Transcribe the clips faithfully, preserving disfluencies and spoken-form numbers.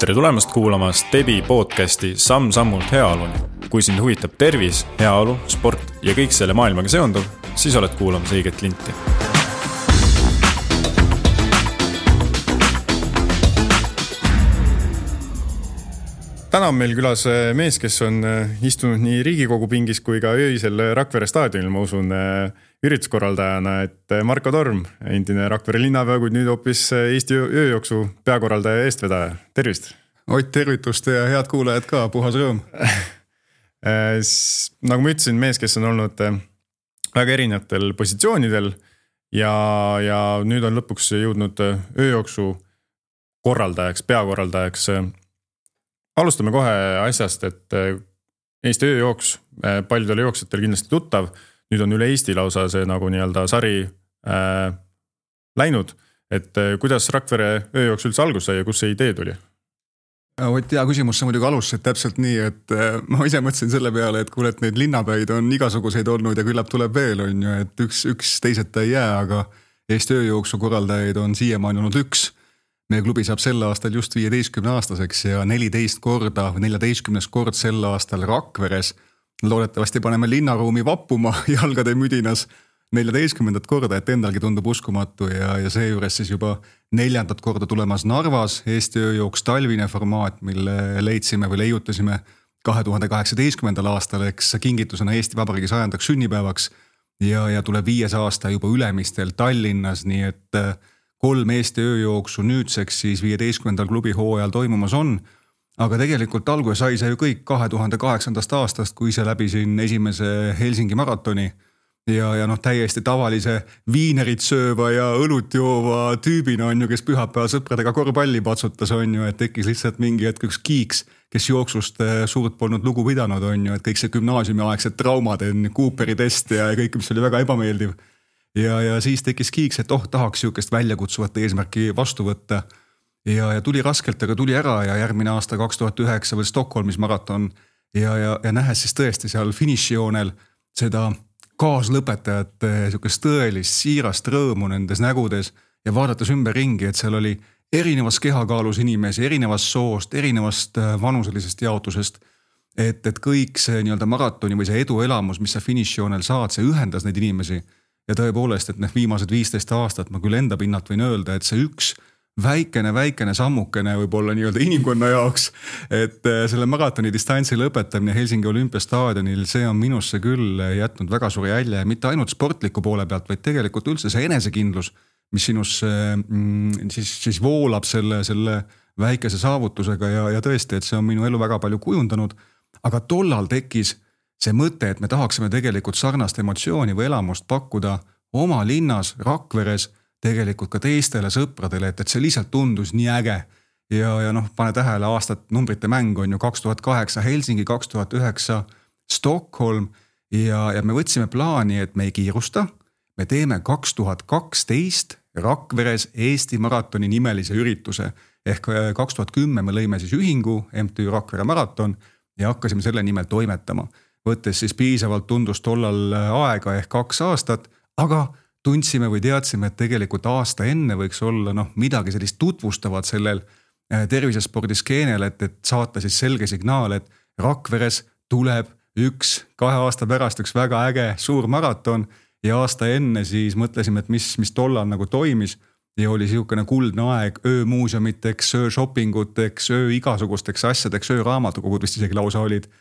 tere tulemast kuulama Stebi podcasti Samm-sammult heaoluni. Kui sind huvitab tervis, heaolu, sport ja kõik selle maailmaga seonduv, siis oled kuulamas õiget linti. Täna on meil külas mees, kes on istunud nii Riigikogu pingis kui ka öisel Rakvere staadionil, ma usun, ürituskorraldajana, et Marko Torm, endine Rakvere linnapea, kuid nüüd hoopis Eesti ööjooksu peakorraldaja ja eestvedaja. Tervist! Ott, tervitust ja head kuulajad ka, puhas rõõm. Nagu ma ütlesin, mees, kes on olnud väga erinevatel positsioonidel ja, ja nüüd on lõpuks jõudnud ööjooksu korraldajaks, peakorraldajaks. Alustame kohe asjast, et Eesti ööjooks paljudele jooksjatel kindlasti tuttav. Nüüd on üle Eesti lausa see nagu nii-öelda sari äh, läinud. Et kuidas Rakvere ööjooks üldse algus sai ja kus see idee tuli? Ott, hea küsimus, sa muidugi alustasid täpselt nii, et ma ise mõtlesin selle peale, et kuule, et neid linnapäid on igasuguseid olnud ja küllap tuleb veel, on ju, et üks, üks teiseta ei jää, aga Eesti ööjooksu korraldajaid on siiamaani olnud üks. Meie klubi saab sel aastal just viieteistkümne aastaseks ja neliteist korda või neljateistkümnes kord sel aastal Rakveres. Loodetavasti paneme linnaruumi vappuma jalgade müdinas neljateistkümnendat korda, et endalgi tundub uskumatu ja, ja seejuures siis juba neljandat korda tulemas Narvas Eesti ööjooks talvine formaat, mille leidsime või leiutasime kahe tuhande kaheksateistkümnendal aastal, eks kingitusena Eesti Vabariigi sajandaks sünnipäevaks ja, ja tuleb viies aasta juba Ülemistel Tallinnas, nii et kolm Eesti ööjooksu nüüdseks siis viieteistkümnendal klubi hooajal toimumas on, aga tegelikult alguse sai see ju kõik kahe tuhande kaheksandast aastast, kui see läbisin esimese Helsingi maratoni ja, ja noh, täiesti tavalise viinerit sööva ja õlut joova tüübina on ju, kes pühapäeval sõpradega korvpalli patsutas on ju, et tekkis lihtsalt mingi hetk üks kiiks, kes jooksust suurt polnud lugu pidanud on ju, et kõik see gümnaasiumiaegsed traumad, Cooperi test ja kõik, mis oli väga ebameeldiv. Ja, ja siis tekkis kiiks, et oh, tahaks siukest väljakutsuvat eesmärki vastu võtta. Ja, ja tuli raskelt, aga tuli ära ja järgmine aasta kaks tuhat üheksa veel Stockholmis maraton. Ja, ja, ja nähes siis tõesti seal finišijoonel seda kaaslõpetajate siukest tõelist siirast rõõmu nendes nägudes ja vaadates ümber ringi, et seal oli erinevas kehakaalus inimesi, erinevast soost, erinevast vanuselisest jaotusest. Et, et kõik see nii-öelda maratoni või see edu elamus, mis sa finišijoonel saad, see ühendas neid inimesi. Ja tõepoolest, et need viimased viisteist aastat ma küll enda pinnalt võin öelda, et see üks väikene, väikene sammukene võib-olla nii-öelda inimkonna jaoks, et selle maratoni distantsi lõpetamine Helsingi olümpiastaadionil, see on minusse küll jätnud väga suuri jälje, mitte ainult sportliku poole pealt, vaid tegelikult üldse see enesekindlus, mis sinus mm, siis, siis voolab selle, selle väikese saavutusega ja, ja tõesti, et see on minu elu väga palju kujundanud, aga tollal tekkis see mõte, et me tahaksime tegelikult sarnast emotsiooni või elamust pakkuda oma linnas, Rakveres, tegelikult ka teistele sõpradele, et, et see lihtsalt tundus nii äge. Ja, ja noh, pane tähele aastat numbrite mäng on ju kaks tuhat kaheksa Helsingi, kaks tuhat üheksa Stockholm ja, ja me võtsime plaani, et me ei kiirusta. Me teeme kaks tuhat kaksteist Rakveres Eesti maratoni nimelise ürituse. Ehk kaks tuhat kümme me lõime siis ühingu M T Ü Rakvere maraton ja hakkasime selle nimel toimetama. Võttes siis piisavalt tundus tollal aega ehk kaks aastat, aga tundsime või teadsime, et tegelikult aasta enne võiks olla noh, midagi sellist tutvustavat sellel tervisespordisskeenel, et, et saata siis selge signaal, et Rakveres tuleb üks kahe aasta pärast üks väga äge suur maraton ja aasta enne siis mõtlesime, et mis, mis tollal nagu toimis ja oli siukene kuldne aeg öömuusemiteks, ööshoppinguteks, öö igasugusteks asjadeks, ööraamatukogud vist isegi lausa olid.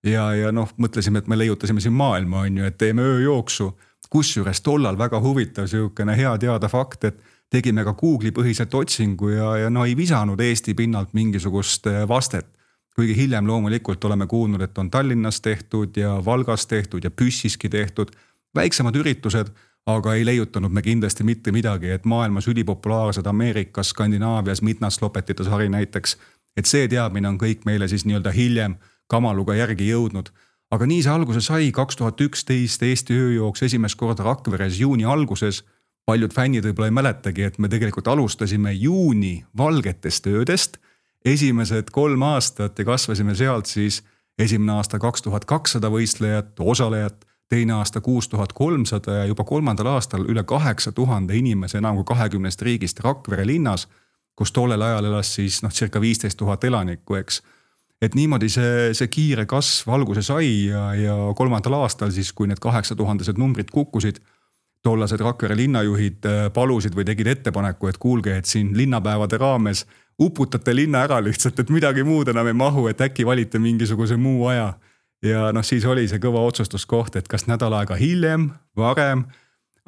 Ja, ja noh, mõtlesime, et me leiutasime siin maailma, on ju, et teeme ööjooksu, kusjuures tollal väga huvitav siukene hea teada fakt, et tegime ka Google'i põhiselt otsingu ja, ja no ei visanud Eesti pinnalt mingisugust vastet. Kuigi hiljem loomulikult oleme kuulnud, et on Tallinnas tehtud ja Valgas tehtud ja Püssiski tehtud, väiksemad üritused, aga ei leiutanud me kindlasti mitte midagi, et maailmas ülipopulaarsed Ameerikas, Skandinaavias, mitnaslopetite sari näiteks, et see teadmine on kõik meile siis nii-öelda hiljem kamaluga järgi jõudnud. Aga nii see alguse sai kaks tuhat üksteist Eesti ööjooks esimest korda Rakveres juuni alguses. Paljud fännid võib-olla ei mäletagi, et me tegelikult alustasime juuni valgetest öödest. Esimesed kolm aastat ja kasvasime sealt siis esimene aasta kaks tuhat kakssada võistlejat, osalejat, teine aasta kuus tuhat kolmsada ja juba kolmandal aastal üle kaheksa tuhande inimese enam kui kahekümnest riigist Rakvere linnas. kus tollel ajal elas siis noh, circa viisteist tuhat elanikku, eks. Et niimoodi see, see kiire kasv alguse sai ja, ja kolmandal aastal siis, kui need kaheksa tuhandesed numbrid kukkusid, tollased Rakvere linnajuhid palusid või tegid ettepaneku, et kuulge, et siin linnapäevade raames uputate linna ära lihtsalt, et midagi muud enam ei mahu, et äkki valite mingisuguse muu aja. Ja noh, siis oli see kõva otsustuskoht, et kas nädal aega hiljem, varem,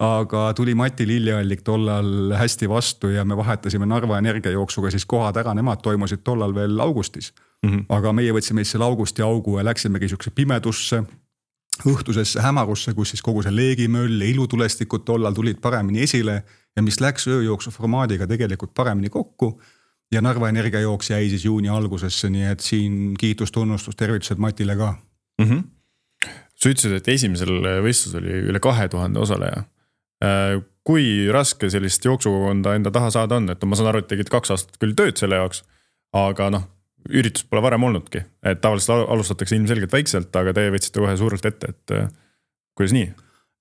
aga tuli Mati Lilleallik tollal hästi vastu ja me vahetasime Narva energiajooksuga siis kohad ära, nemad toimusid tollal veel augustis. Mm -hmm. Aga meie võtsime selle augusti augu ja läksimegi siukse pimedusse, õhtusesse hämarusse, kus siis kogu see leegimöll ja ilutulestikud tollal tulid paremini esile ja mis läks ööjooksu formaadiga tegelikult paremini kokku. Ja Narva energiajooks jäi siis juuni algusesse, nii et siin kiitus, tunnustus, tervitused Matile ka. Mm -hmm. Sa ütlesid, et esimesel võistlus oli üle kahe tuhande osaleja. Kui raske sellist jooksukogonda enda taha saada on, et ma saan aru, et tegid kaks aastat küll tööd selle jaoks, aga noh, üritus pole varem olnudki, et tavaliselt alustatakse ilmselgelt väikselt, aga teie võtsite kohe suurelt ette, et kuidas nii?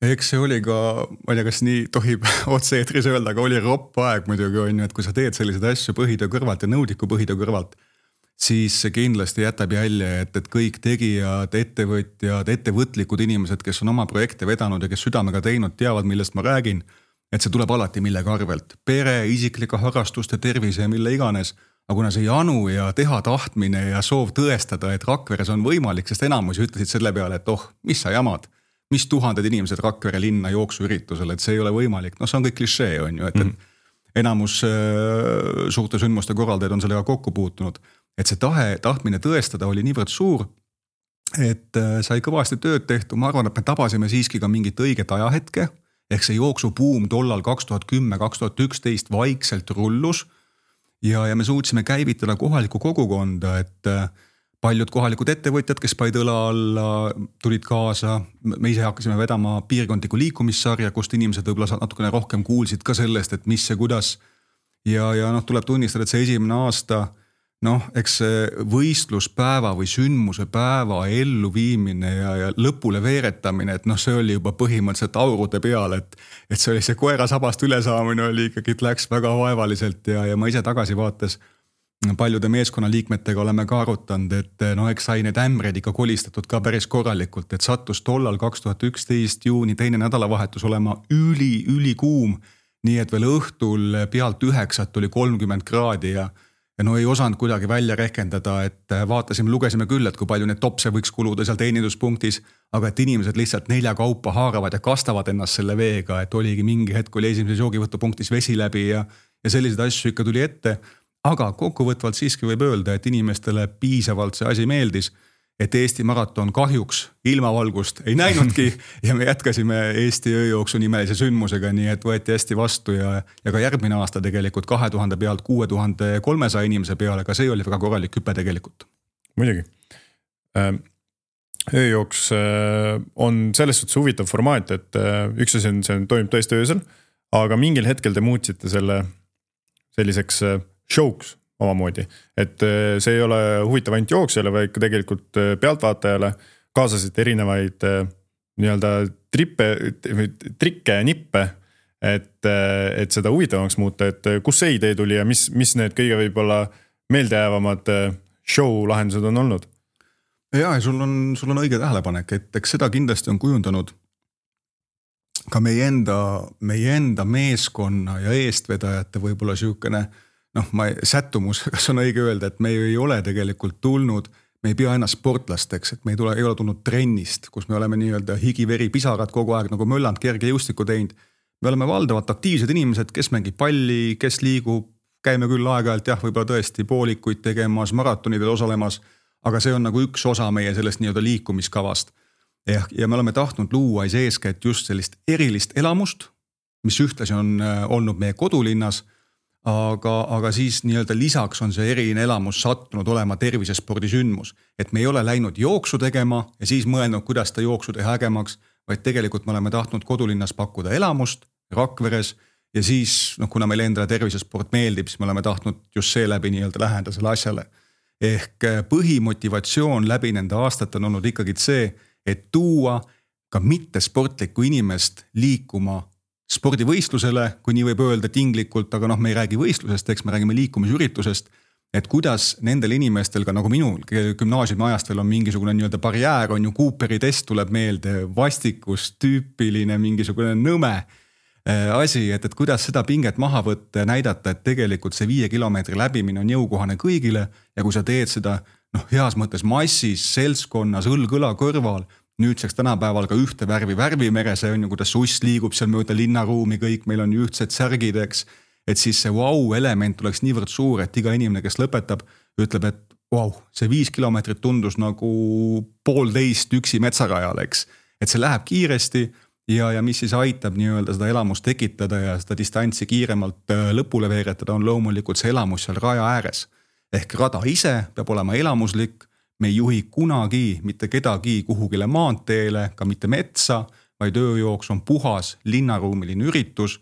Eks see oli ka, ma ei tea, kas nii tohib otse eetris öelda, aga oli ropp aeg muidugi on ju, et kui sa teed selliseid asju põhitöö kõrvalt ja nõudiku põhitöö kõrvalt, siis see kindlasti jätab jälje, et, et kõik tegijad, ettevõtjad, ettevõtlikud inimesed, kes on oma projekte vedanud ja kes südamega teinud, teavad, millest ma räägin, et see tuleb alati millegi arvelt. Pere, isiklike harrastuste, tervise ja mille iganes. Aga kuna see janu ja teha tahtmine ja soov tõestada, et Rakveres on võimalik, sest enamus ütlesid selle peale, et oh, mis sa jamad, mis tuhanded inimesed Rakvere linna jooksuüritusel, et see ei ole võimalik. No see on kõik klišee, on ju, et, mm. et enamus äh, suurte sündmuste korraldajaid on sellega kokku puutunud. Et see tahe, tahtmine tõestada oli niivõrd suur, et äh, sai kõvasti tööd tehtud. Ma arvan, et me tabasime siiski ka mingit õiget ajahetke, ehk see jooksubuum tollal kaks tuhat kümme kaks tuhat üksteist vaikselt rullus ja, ja me suutsime käivitada kohalikku kogukonda, et äh, paljud kohalikud ettevõtjad, kes paid õla alla, tulid kaasa. Me ise hakkasime vedama piirkondliku liikumissarja, kust inimesed võib-olla natukene rohkem kuulsid ka sellest, et mis see kuidas. Ja, ja noh, tuleb tunnistada, et see esimene aasta, noh, eks see võistluspäeva või sündmuse päeva ellu viimine ja, ja lõpule veeretamine, et noh, see oli juba põhimõtteliselt aurude peal, et, et see oli see koera sabast ülesaamine oli ikkagi, et läks väga vaevaliselt ja, ja ma ise tagasi vaates paljude meeskonnaliikmetega oleme ka arutanud, et no eks sai need ämbreid ikka kolistatud ka päris korralikult, et sattus tollal kaks tuhat üksteist juuni teine nädalavahetus olema üli, üli kuum, nii et veel õhtul pealt üheksat oli kolmkümmend kraadi ja, ja no ei osanud kuidagi välja rehkendada, et vaatasime, lugesime küll, et kui palju need topse võiks kuluda seal teeninduspunktis, aga et inimesed lihtsalt nelja kaupa haaravad ja kastavad ennast selle veega, et oligi mingi hetk, oli esimeses joogivõtupunktis vesi läbi ja, ja selliseid asju ikka tuli ette. Aga kokkuvõtvalt siiski võib öelda, et inimestele piisavalt see asi meeldis, et Eesti maraton kahjuks ilmavalgust ei näinudki ja me jätkasime Eesti ööjooksu nimelise sündmusega, nii et võeti hästi vastu ja, ja ka järgmine aasta tegelikult kahe tuhande pealt kuue tuhande kolmesaja inimese peale, aga see oli väga korralik hüpe tegelikult. Muidugi. Ööjooks on selles suhtes huvitav formaat, et üks asi on, see toimub tõesti öösel, aga mingil hetkel te muutsite selle selliseks showks omamoodi, et see ei ole huvitav ainult jooksjale, vaid tegelikult pealtvaatajale kaasasite erinevaid nii-öelda trippe, trikke ja nippe, et, et seda huvitavamaks muuta, et kus see idee tuli ja mis, mis need kõige võib-olla meeldejäävamad show lahendused on olnud? Ja, sul on, sul on õige tähelepanek, et eks seda kindlasti on kujundanud ka meie enda, meie enda meeskonna ja eestvedajate võib-olla siukene noh, ma sättumus, kas on õige öelda, et me ei ole tegelikult tulnud, me ei pea ennast sportlasteks, et me ei, tule, ei ole tulnud trennist, kus me oleme nii-öelda higiveri pisarad kogu aeg nagu mölland kerge jõustiku teinud. Me oleme valdavalt aktiivsed inimesed, kes mängib palli, kes liigub, käime küll aeg-ajalt jah, võib-olla tõesti poolikuid tegemas, maratonidel osalemas, aga see on nagu üks osa meie sellest nii-öelda liikumiskavast. Ja me oleme tahtnud luua eeskätt just sellist erilist elamust, mis ühtlasi on olnud meie kodulinnas, Aga, aga siis nii-öelda lisaks on see eriline elamus sattunud olema tervisespordisündmus. Et me ei ole läinud jooksu tegema ja siis mõelnud, kuidas ta jooksu teha ägemaks, vaid tegelikult me oleme tahtnud kodulinnas pakkuda elamust Rakveres ja siis, noh, kuna meil endale tervisesport meeldib, siis me oleme tahtnud just seeläbi nii-öelda läheneda selle asjale. Ehk põhimotivatsioon läbi nende aastat on olnud ikkagi see, et tuua ka mitte sportlikku inimest liikuma spordivõistlusele, kui nii võib öelda tinglikult, aga noh, me ei räägi võistlusest, eks me räägime liikumisüritusest, et kuidas nendel inimestel ka nagu minul gümnaasiumi ajast veel on mingisugune nii-öelda barjäär, on ju Cooperi test tuleb meelde, vastikus, tüüpiline mingisugune nõme asi, et, et kuidas seda pinget maha võtta ja näidata, et tegelikult see viie kilomeetri läbimine on jõukohane kõigile ja kui sa teed seda noh, heas mõttes massis, seltskonnas, õlg-õla kõrval, nüüdseks tänapäeval ka ühte värvi värvimeres, see on ju, kuidas suss liigub seal mööda linnaruumi, kõik meil on ju ühtsed särgid, eks, et siis see vau element oleks niivõrd suur, et iga inimene, kes lõpetab, ütleb, et vau, see viis kilomeetrit tundus nagu poolteist üksi metsarajal, eks, et see läheb kiiresti ja, ja mis siis aitab nii-öelda seda elamust tekitada ja seda distantsi kiiremalt lõpule veeretada, on loomulikult see elamus seal raja ääres. Ehk rada ise peab olema elamuslik, me ei juhi kunagi mitte kedagi kuhugile maanteele, ka mitte metsa, vaid ööjooks on puhas linnaruumiline üritus,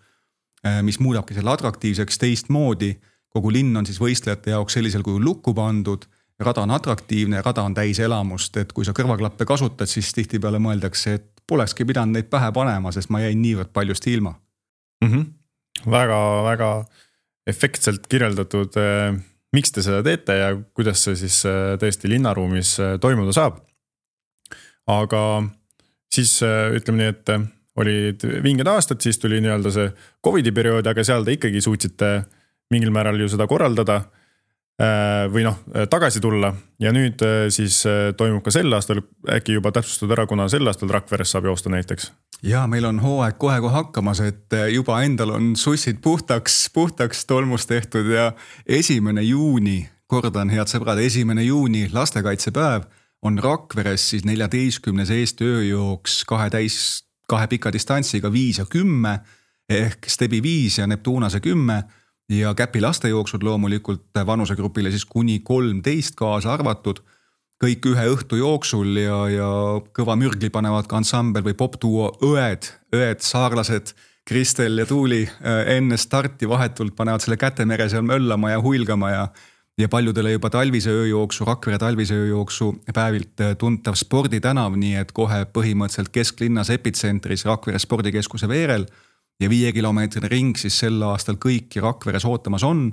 mis muudabki selle atraktiivseks teistmoodi. Kogu linn on siis võistlejate jaoks sellisel kujul lukku pandud, rada on atraktiivne, rada on täis elamust, et kui sa kõrvaklappe kasutad, siis tihtipeale mõeldakse, et polekski pidanud neid pähe panema, sest ma jäin niivõrd paljust ilma. Mm-hmm. Väga, väga efektselt kirjeldatud, miks te seda teete ja kuidas see siis tõesti linnaruumis toimuda saab. Aga siis ütleme nii, et olid vinged aastad, siis tuli nii-öelda see Covidi periood, aga seal te ikkagi suutsite mingil määral ju seda korraldada või noh, tagasi tulla ja nüüd siis toimub ka sel aastal, äkki juba täpsustud ära, kuna sel aastal Rakveres saab joosta näiteks. Ja meil on hooaeg kohe-kohe hakkamas, et juba endal on sussid puhtaks, puhtaks tolmust tehtud ja esimene juuni, kordan head sõbrad, esimene juuni lastekaitsepäev on Rakveres siis neljateistkümnes Eesti ööjooks kahe täis, kahe pika distantsiga viis ja kümme ehk Stebi viis ja Neptunase kümme ja Käpi lastejooksud loomulikult vanusegrupile siis kuni kolmteist kaasa arvatud, kõik ühe õhtu jooksul ja, ja kõva mürgli panevad ka ansambel või popduo õed, õed, saarlased, Kristel ja Tuuli enne starti vahetult panevad selle kätemere seal möllama ja huilgama ja, ja paljudele juba talvise ööjooksu, Rakvere talvise ööjooksu päevilt tuntav sporditänav, nii et kohe põhimõtteliselt kesklinnas epitsentris Rakvere spordikeskuse veerel ja viie kilomeetrine ring siis sel aastal kõiki Rakveres ootamas on.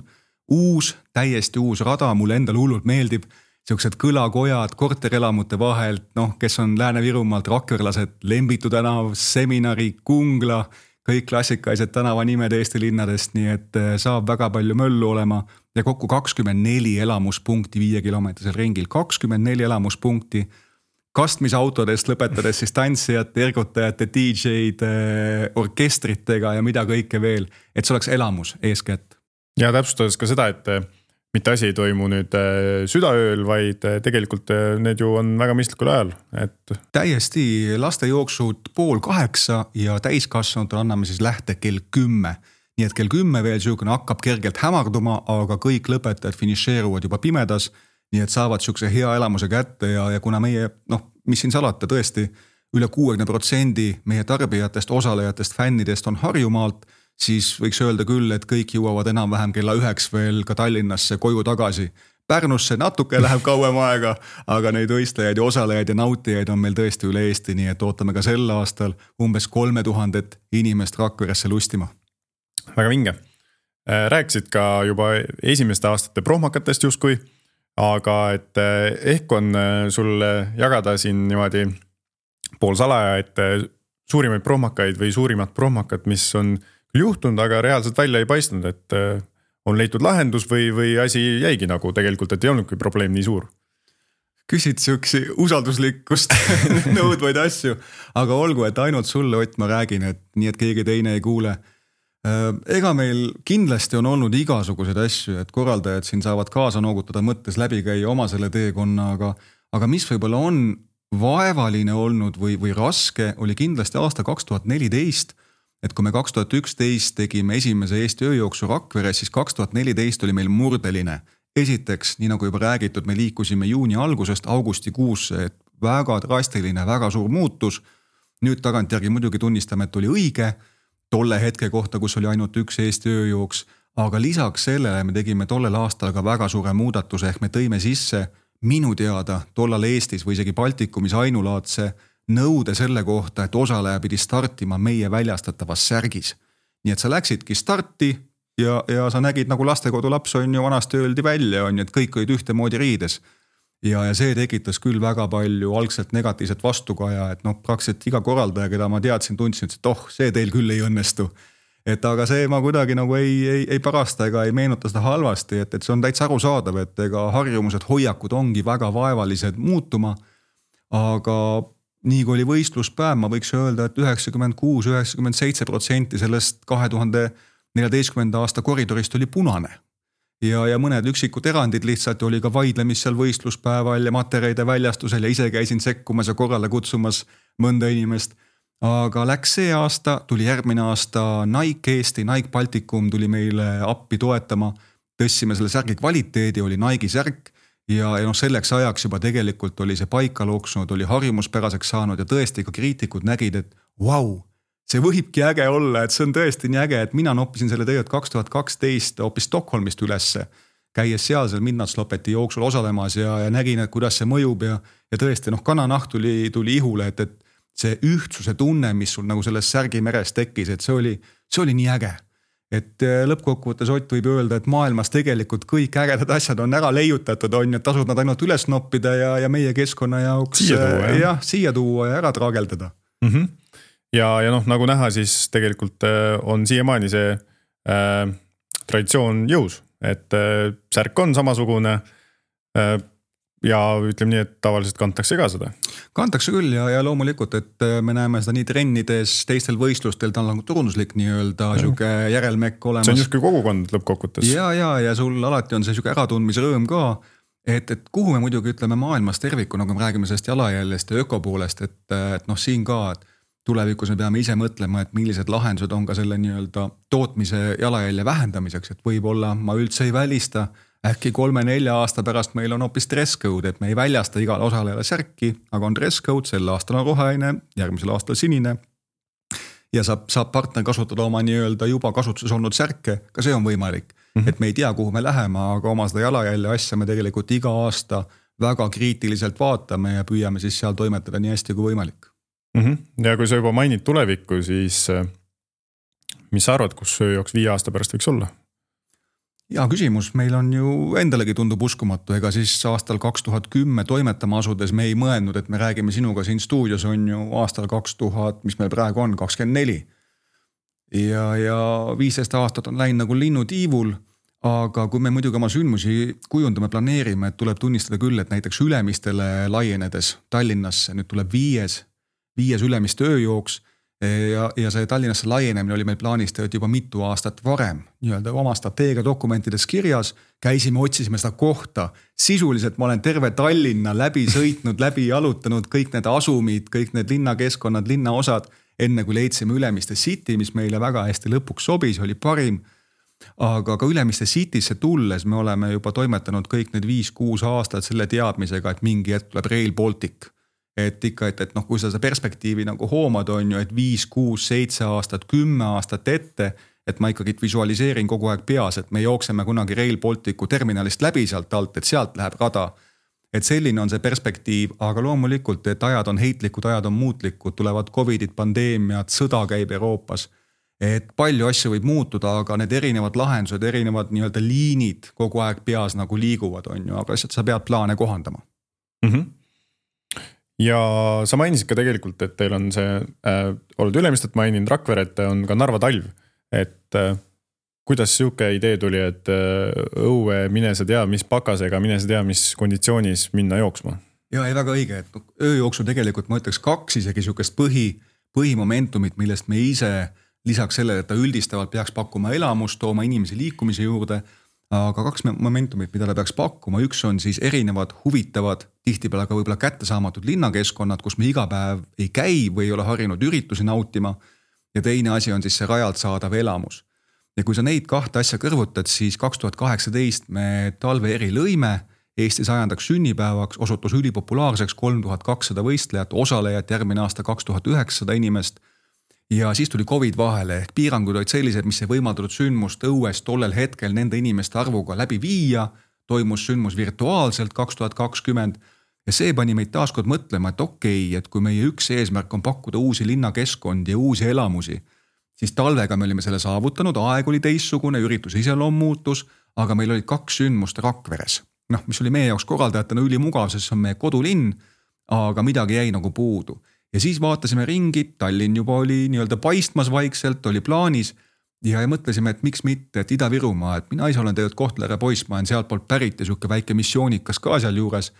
Uus, täiesti uus rada, mulle endal hullult meeldib, sellised kõlakojad korterelamute vahelt, noh, kes on Lääne-Virumaalt rakverlased, Lembitu tänav, Seminari, Kungla, kõik klassikalised tänavanimed Eesti linnadest, nii et saab väga palju möllu olema ja kokku kakskümmend neli elamuspunkti viie kilomeetrisel ringil, kakskümmend neli elamuspunkti, kastmisautodest lõpetades siis tantsijate, ergutajate, D J-d, orkestritega ja mida kõike veel, et see oleks elamus eeskätt. Ja täpsustades ka seda, et mitte asi ei toimu nüüd südaööl, vaid tegelikult need ju on väga mõistlikul ajal. Et... täiesti laste jooksud pool kaheksa ja täiskasvanutele anname siis lähte kell kümme. Nii et kell kümme veel süükene hakkab kergelt hämarduma, aga kõik lõpetajad finišeeruvad juba pimedas, nii et saavad sükse hea elamuse kätte ja, ja kuna meie, noh, mis siin salata tõesti, üle kuuekümne protsendi meie tarbijatest, osalejatest, fännidest on Harjumaalt, siis võiks öelda küll, et kõik jõuavad enam-vähem kella üheks veel ka Tallinnasse koju tagasi. Pärnusse natuke läheb kauem aega, aga neid võistlejaid ja osalejaid ja nautijaid on meil tõesti üle Eesti, nii et ootame ka sel aastal umbes kolme tuhandet inimest Rakveresse lustima. Väga vinge. Rääkisid ka juba esimeste aastate prohmakatest justkui, aga et ehk on sul jagada siin niimoodi pool salaja, et suurimaid prohmakaid või suurimat prohmakat, mis on juhtunud, aga reaalselt välja ei paistnud, et on leitud lahendus või, või asi jäigi nagu tegelikult, et ei olnudki probleem nii suur. Küsid süksi usalduslikkust nõudvaid asju, aga olgu, et ainult sulle, Ott, ma räägin, et nii, et keegi teine ei kuule. Ega meil kindlasti on olnud igasuguseid asju, et korraldajad siin saavad kaasa noogutada mõttes läbi käia oma selle teekonna, aga, aga mis võibolla on vaevaline olnud või, või raske, oli kindlasti aasta kaks tuhat neliteist, et kui me kaks tuhat üksteist tegime esimese Eesti ööjooksu Rakveres, siis kaks tuhat neliteist oli meil murdeline. Esiteks, nii nagu juba räägitud, me liikusime juuni algusest augustikuusse, et väga drastiline, väga suur muutus. Nüüd tagantjärgi muidugi tunnistame, et oli õige, tolle hetke kohta, kus oli ainult üks Eesti ööjooks, aga lisaks sellele me tegime tollel aastal ka väga suure muudatuse, ehk me tõime sisse minu teada tollal Eestis või isegi Baltikumis ainulaadse nõude selle kohta, et osaleja pidi startima meie väljastatavas särgis. nii et sa läksidki starti ja, ja sa nägid nagu lastekodulaps on ju vanasti öeldi välja on ju, et kõik olid ühtemoodi riides. Ja, ja see tekitas küll väga palju algselt negatiivset vastukaja, et noh, praktiliselt iga korraldaja, keda ma teadsin, tundsin, et oh, see teil küll ei õnnestu. Et aga see ma kuidagi nagu ei, ei, ei parasta ega ei meenuta seda halvasti, et, et see on täitsa arusaadav, et ega harjumused, hoiakud ongi väga vaevalised muutuma. Aga nii kui oli võistluspäev, ma võiks öelda, et üheksakümmend kuus üheksakümmend seitse protsenti sellest kahe tuhande neljateistkümnenda aasta koridorist oli punane. Ja, ja mõned üksikud erandid lihtsalt oli ka vaidlemis seal võistluspäeval ja materjalide väljastusel ja ise käisin sekkumas ja korrale kutsumas mõnda inimest. Aga läks see aasta, tuli järgmine aasta Nike Eesti, Nike Balticum tuli meile appi toetama. Tõssime selle särgi kvaliteedi, oli Nike särk ja, ja noh, selleks ajaks juba tegelikult oli see paika looksunud, oli harjumuspäraseks saanud ja tõesti ka kriitikud nägid, et vau, see võibki äge olla, et see on tõesti nii äge, et mina noppisin selle tegelikult kaks tuhat kaksteist hoopis Stockholmist ülesse, käies seal seal Midnatslopeti jooksul osalemas ja, ja nägin, et kuidas see mõjub ja, ja tõesti noh, kananaht tuli, tuli ihule, et, et see ühtsuse tunne, mis sul nagu selles särgimeres tekkis, et see oli, see oli nii äge. Et lõppkokkuvõttes Ott võib öelda, et maailmas tegelikult kõik ägedad asjad on ära leiutatud, on, et tasub nad ainult üles noppida ja, ja meie keskkonna jaoks siia tuua, ja, ja, siia tuua ja ära traageldada. Mhm. Ja, ja noh, nagu näha, siis tegelikult on siiamaani see äh, traditsioon jõus, et äh, särk on samasugune äh, ja ütleme nii, et tavaliselt kantakse ka seda. Kantakse küll ja, ja loomulikult, et me näeme seda nii trennides, teistel võistlustel, ta on turunduslik nii-öelda siuke järelmekk olemas. See on just kui kogukond lõppkokkutes. Ja, ja, ja sul alati on see siuke äratundmisrõõm ka, et, et kuhu me muidugi ütleme maailmas terviku, nagu me räägime sellest jalajäljest ja ökopoolest, et, et noh, siin ka, et tulevikus me peame ise mõtlema, et millised lahendused on ka selle nii-öelda tootmise jalajälje vähendamiseks, et võib-olla ma üldse ei välista, äkki kolme-nelja aasta pärast meil on hoopis dress code, et me ei väljasta igale osalejale särki, aga on dress code, sel aastal on roheline, järgmisel aastal sinine ja saab, saab partner kasutada oma nii-öelda juba kasutuses olnud särke, ka see on võimalik. Mm-hmm. Et me ei tea, kuhu me läheme, aga oma seda jalajälje asja me tegelikult iga aasta väga kriitiliselt vaatame ja püüame siis seal toimetada nii hästi kui võimalik. Ja kui sa juba mainid tulevikku, siis mis sa arvad, kus ööjooks viie aasta pärast võiks olla? Ja küsimus, meil on ju endalegi tundub uskumatu, ega siis aastal kaks tuhat kümme toimetama asudes me ei mõelnud, et me räägime sinuga siin stuudios on ju aastal kaks tuhat, mis meil praegu on, kakskümmend neli. Ja, ja viisteist aastat on läinud nagu linnu tiivul, aga kui me muidugi oma sündmusi kujundame, planeerime, et tuleb tunnistada küll, et näiteks Ülemistele laienedes Tallinnasse, nüüd tuleb viies viies Ülemiste ööjooks ja, ja see Tallinnasse laienemine oli meil plaanis tööd juba mitu aastat varem, nii-öelda oma strateegia dokumentides kirjas, käisime, otsisime seda kohta, sisuliselt ma olen terve Tallinna läbi sõitnud, läbi jalutanud kõik need asumid, kõik need linnakeskkonnad, linnaosad, enne kui leidsime Ülemiste City, mis meile väga hästi lõpuks sobis, oli parim, aga ka Ülemiste Citysse tulles me oleme juba toimetanud kõik need viis-kuus aastat selle teadmisega, et mingi hetk tuleb Rail Baltic. Et ikka, et, et noh, kui sa seda perspektiivi nagu hoomad on ju, et viis, kuus, seitse aastat, kümme aastat ette, et ma ikkagi visualiseerin kogu aeg peas, et me jookseme kunagi Rail Balticu terminalist läbi sealt alt, et sealt läheb rada. Et selline on see perspektiiv, aga loomulikult, et ajad on heitlikud, ajad on muutlikud, tulevad covidid, pandeemiad, sõda käib Euroopas. Et palju asju võib muutuda, aga need erinevad lahendused, erinevad nii-öelda liinid kogu aeg peas nagu liiguvad on ju, aga lihtsalt sa pead plaane kohandama. Mhm. Ja sa mainisid ka tegelikult, et teil on see, äh, oled Ülemistet maininud, Rakveret on ka Narva talv, et äh, kuidas siuke idee tuli, et äh, õue mine sa tea, mis pakasega, mine sa tea, mis konditsioonis minna jooksma? Ja ei väga õige, et ööjooksu tegelikult ma ütleks kaks isegi siukest põhi, põhimomentumit, millest me ise lisaks sellele, et ta üldistavalt peaks pakkuma elamust, tooma inimesi liikumise juurde, aga kaks momentumit, mida ta peaks pakkuma, üks on siis erinevad huvitavad, tihtipeale ka võib-olla kättesaamatud linnakeskkonnad, kus me iga päev ei käi või ei ole harjunud üritusi nautima ja teine asi on siis see rajalt saadav elamus. Ja kui sa neid kahte asja kõrvutad, siis kaks tuhat kaheksateist me talve eri lõime, Eesti sajandaks sünnipäevaks osutus ülipopulaarseks kolm tuhat kakssada võistlejat, osalejat järgmine aasta kaks tuhat üheksasada inimest. Ja siis tuli Covid vahele, ehk piirangud olid sellised, mis ei võimaldatud sündmust õues tollel hetkel nende inimeste arvuga läbi viia, toimus sündmus virtuaalselt kaks tuhat kakskümmend ja see pani meid taaskord mõtlema, et okei, et kui meie üks eesmärk on pakkuda uusi linnakeskkondi ja uusi elamusi, siis talvega me olime selle saavutanud, aeg oli teistsugune, üritus iseloom muutus, aga meil olid kaks sündmust Rakveres. Noh, mis oli meie jaoks korraldajatena ülimugav, sest see on meie kodulinn, aga midagi jäi nagu puudu. Ja siis vaatasime ringi, Tallinn juba oli nii-öelda paistmas vaikselt, oli plaanis ja, ja mõtlesime, et miks mitte, et Ida-Virumaa, et mina ise olen tegelikult Kohtla-Järve poiss, ma olen sealt poolt pärit ja siuke väike missioonikas ka seal juures,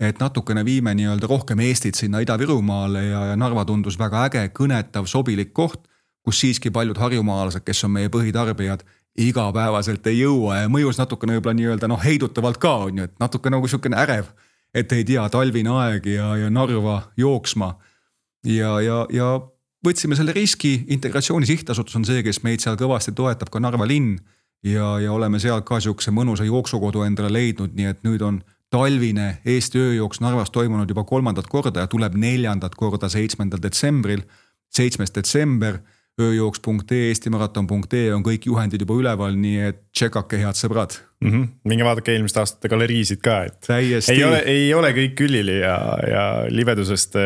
et natukene viime nii-öelda rohkem Eestit sinna Ida-Virumaale ja, ja Narva tundus väga äge, kõnetav, sobilik koht, kus siiski paljud harjumaalased, kes on meie põhitarbijad, igapäevaselt ei jõua ja mõjus natukene võib-olla nii-öelda noh, heidutavalt ka on ju, et natuke nagu siukene ärev, et ei tea, talvine aeg ja, ja Narva jooksma ja, ja, ja võtsime selle riski, Integratsiooni Sihtasutus on see, kes meid seal kõvasti toetab, ka Narva linn ja, ja oleme seal ka siukse mõnusa jooksukodu endale leidnud, nii et nüüd on talvine Eesti ööjooks Narvas toimunud juba kolmandat korda ja tuleb neljandat korda seitsmendal detsembril, seitsmes detsember, ööjooks punkt ee, eestimaraton punkt ee on kõik juhendid juba üleval, nii et tšekake head sõbrad. Mm -hmm. Minge vaadake eelmiste aastate galeriisid ka, et Täiesti. ei ole, ei ole kõik külili ja, ja libedusest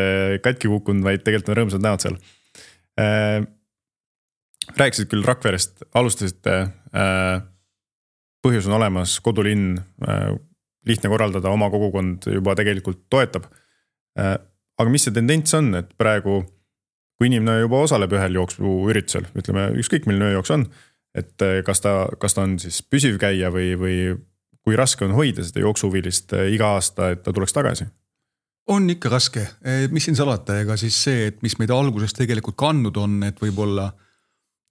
katki kukkunud, vaid tegelikult on rõõmsad näod seal. Äh, rääkisid küll Rakverest, alustasite, äh, põhjus on olemas, kodulinn, äh, lihtne korraldada, oma kogukond juba tegelikult toetab. Äh, aga mis see tendents on, et praegu kui inimene juba osaleb ühel jooksu üritusel, ütleme ükskõik milline ööjooks on, et kas ta, kas ta on siis püsiv käija või, või kui raske on hoida seda jooksuhuvilist iga aasta, et ta tuleks tagasi? On ikka raske, mis siin salata, ega siis see, et mis meid alguses tegelikult kandnud on, et võib-olla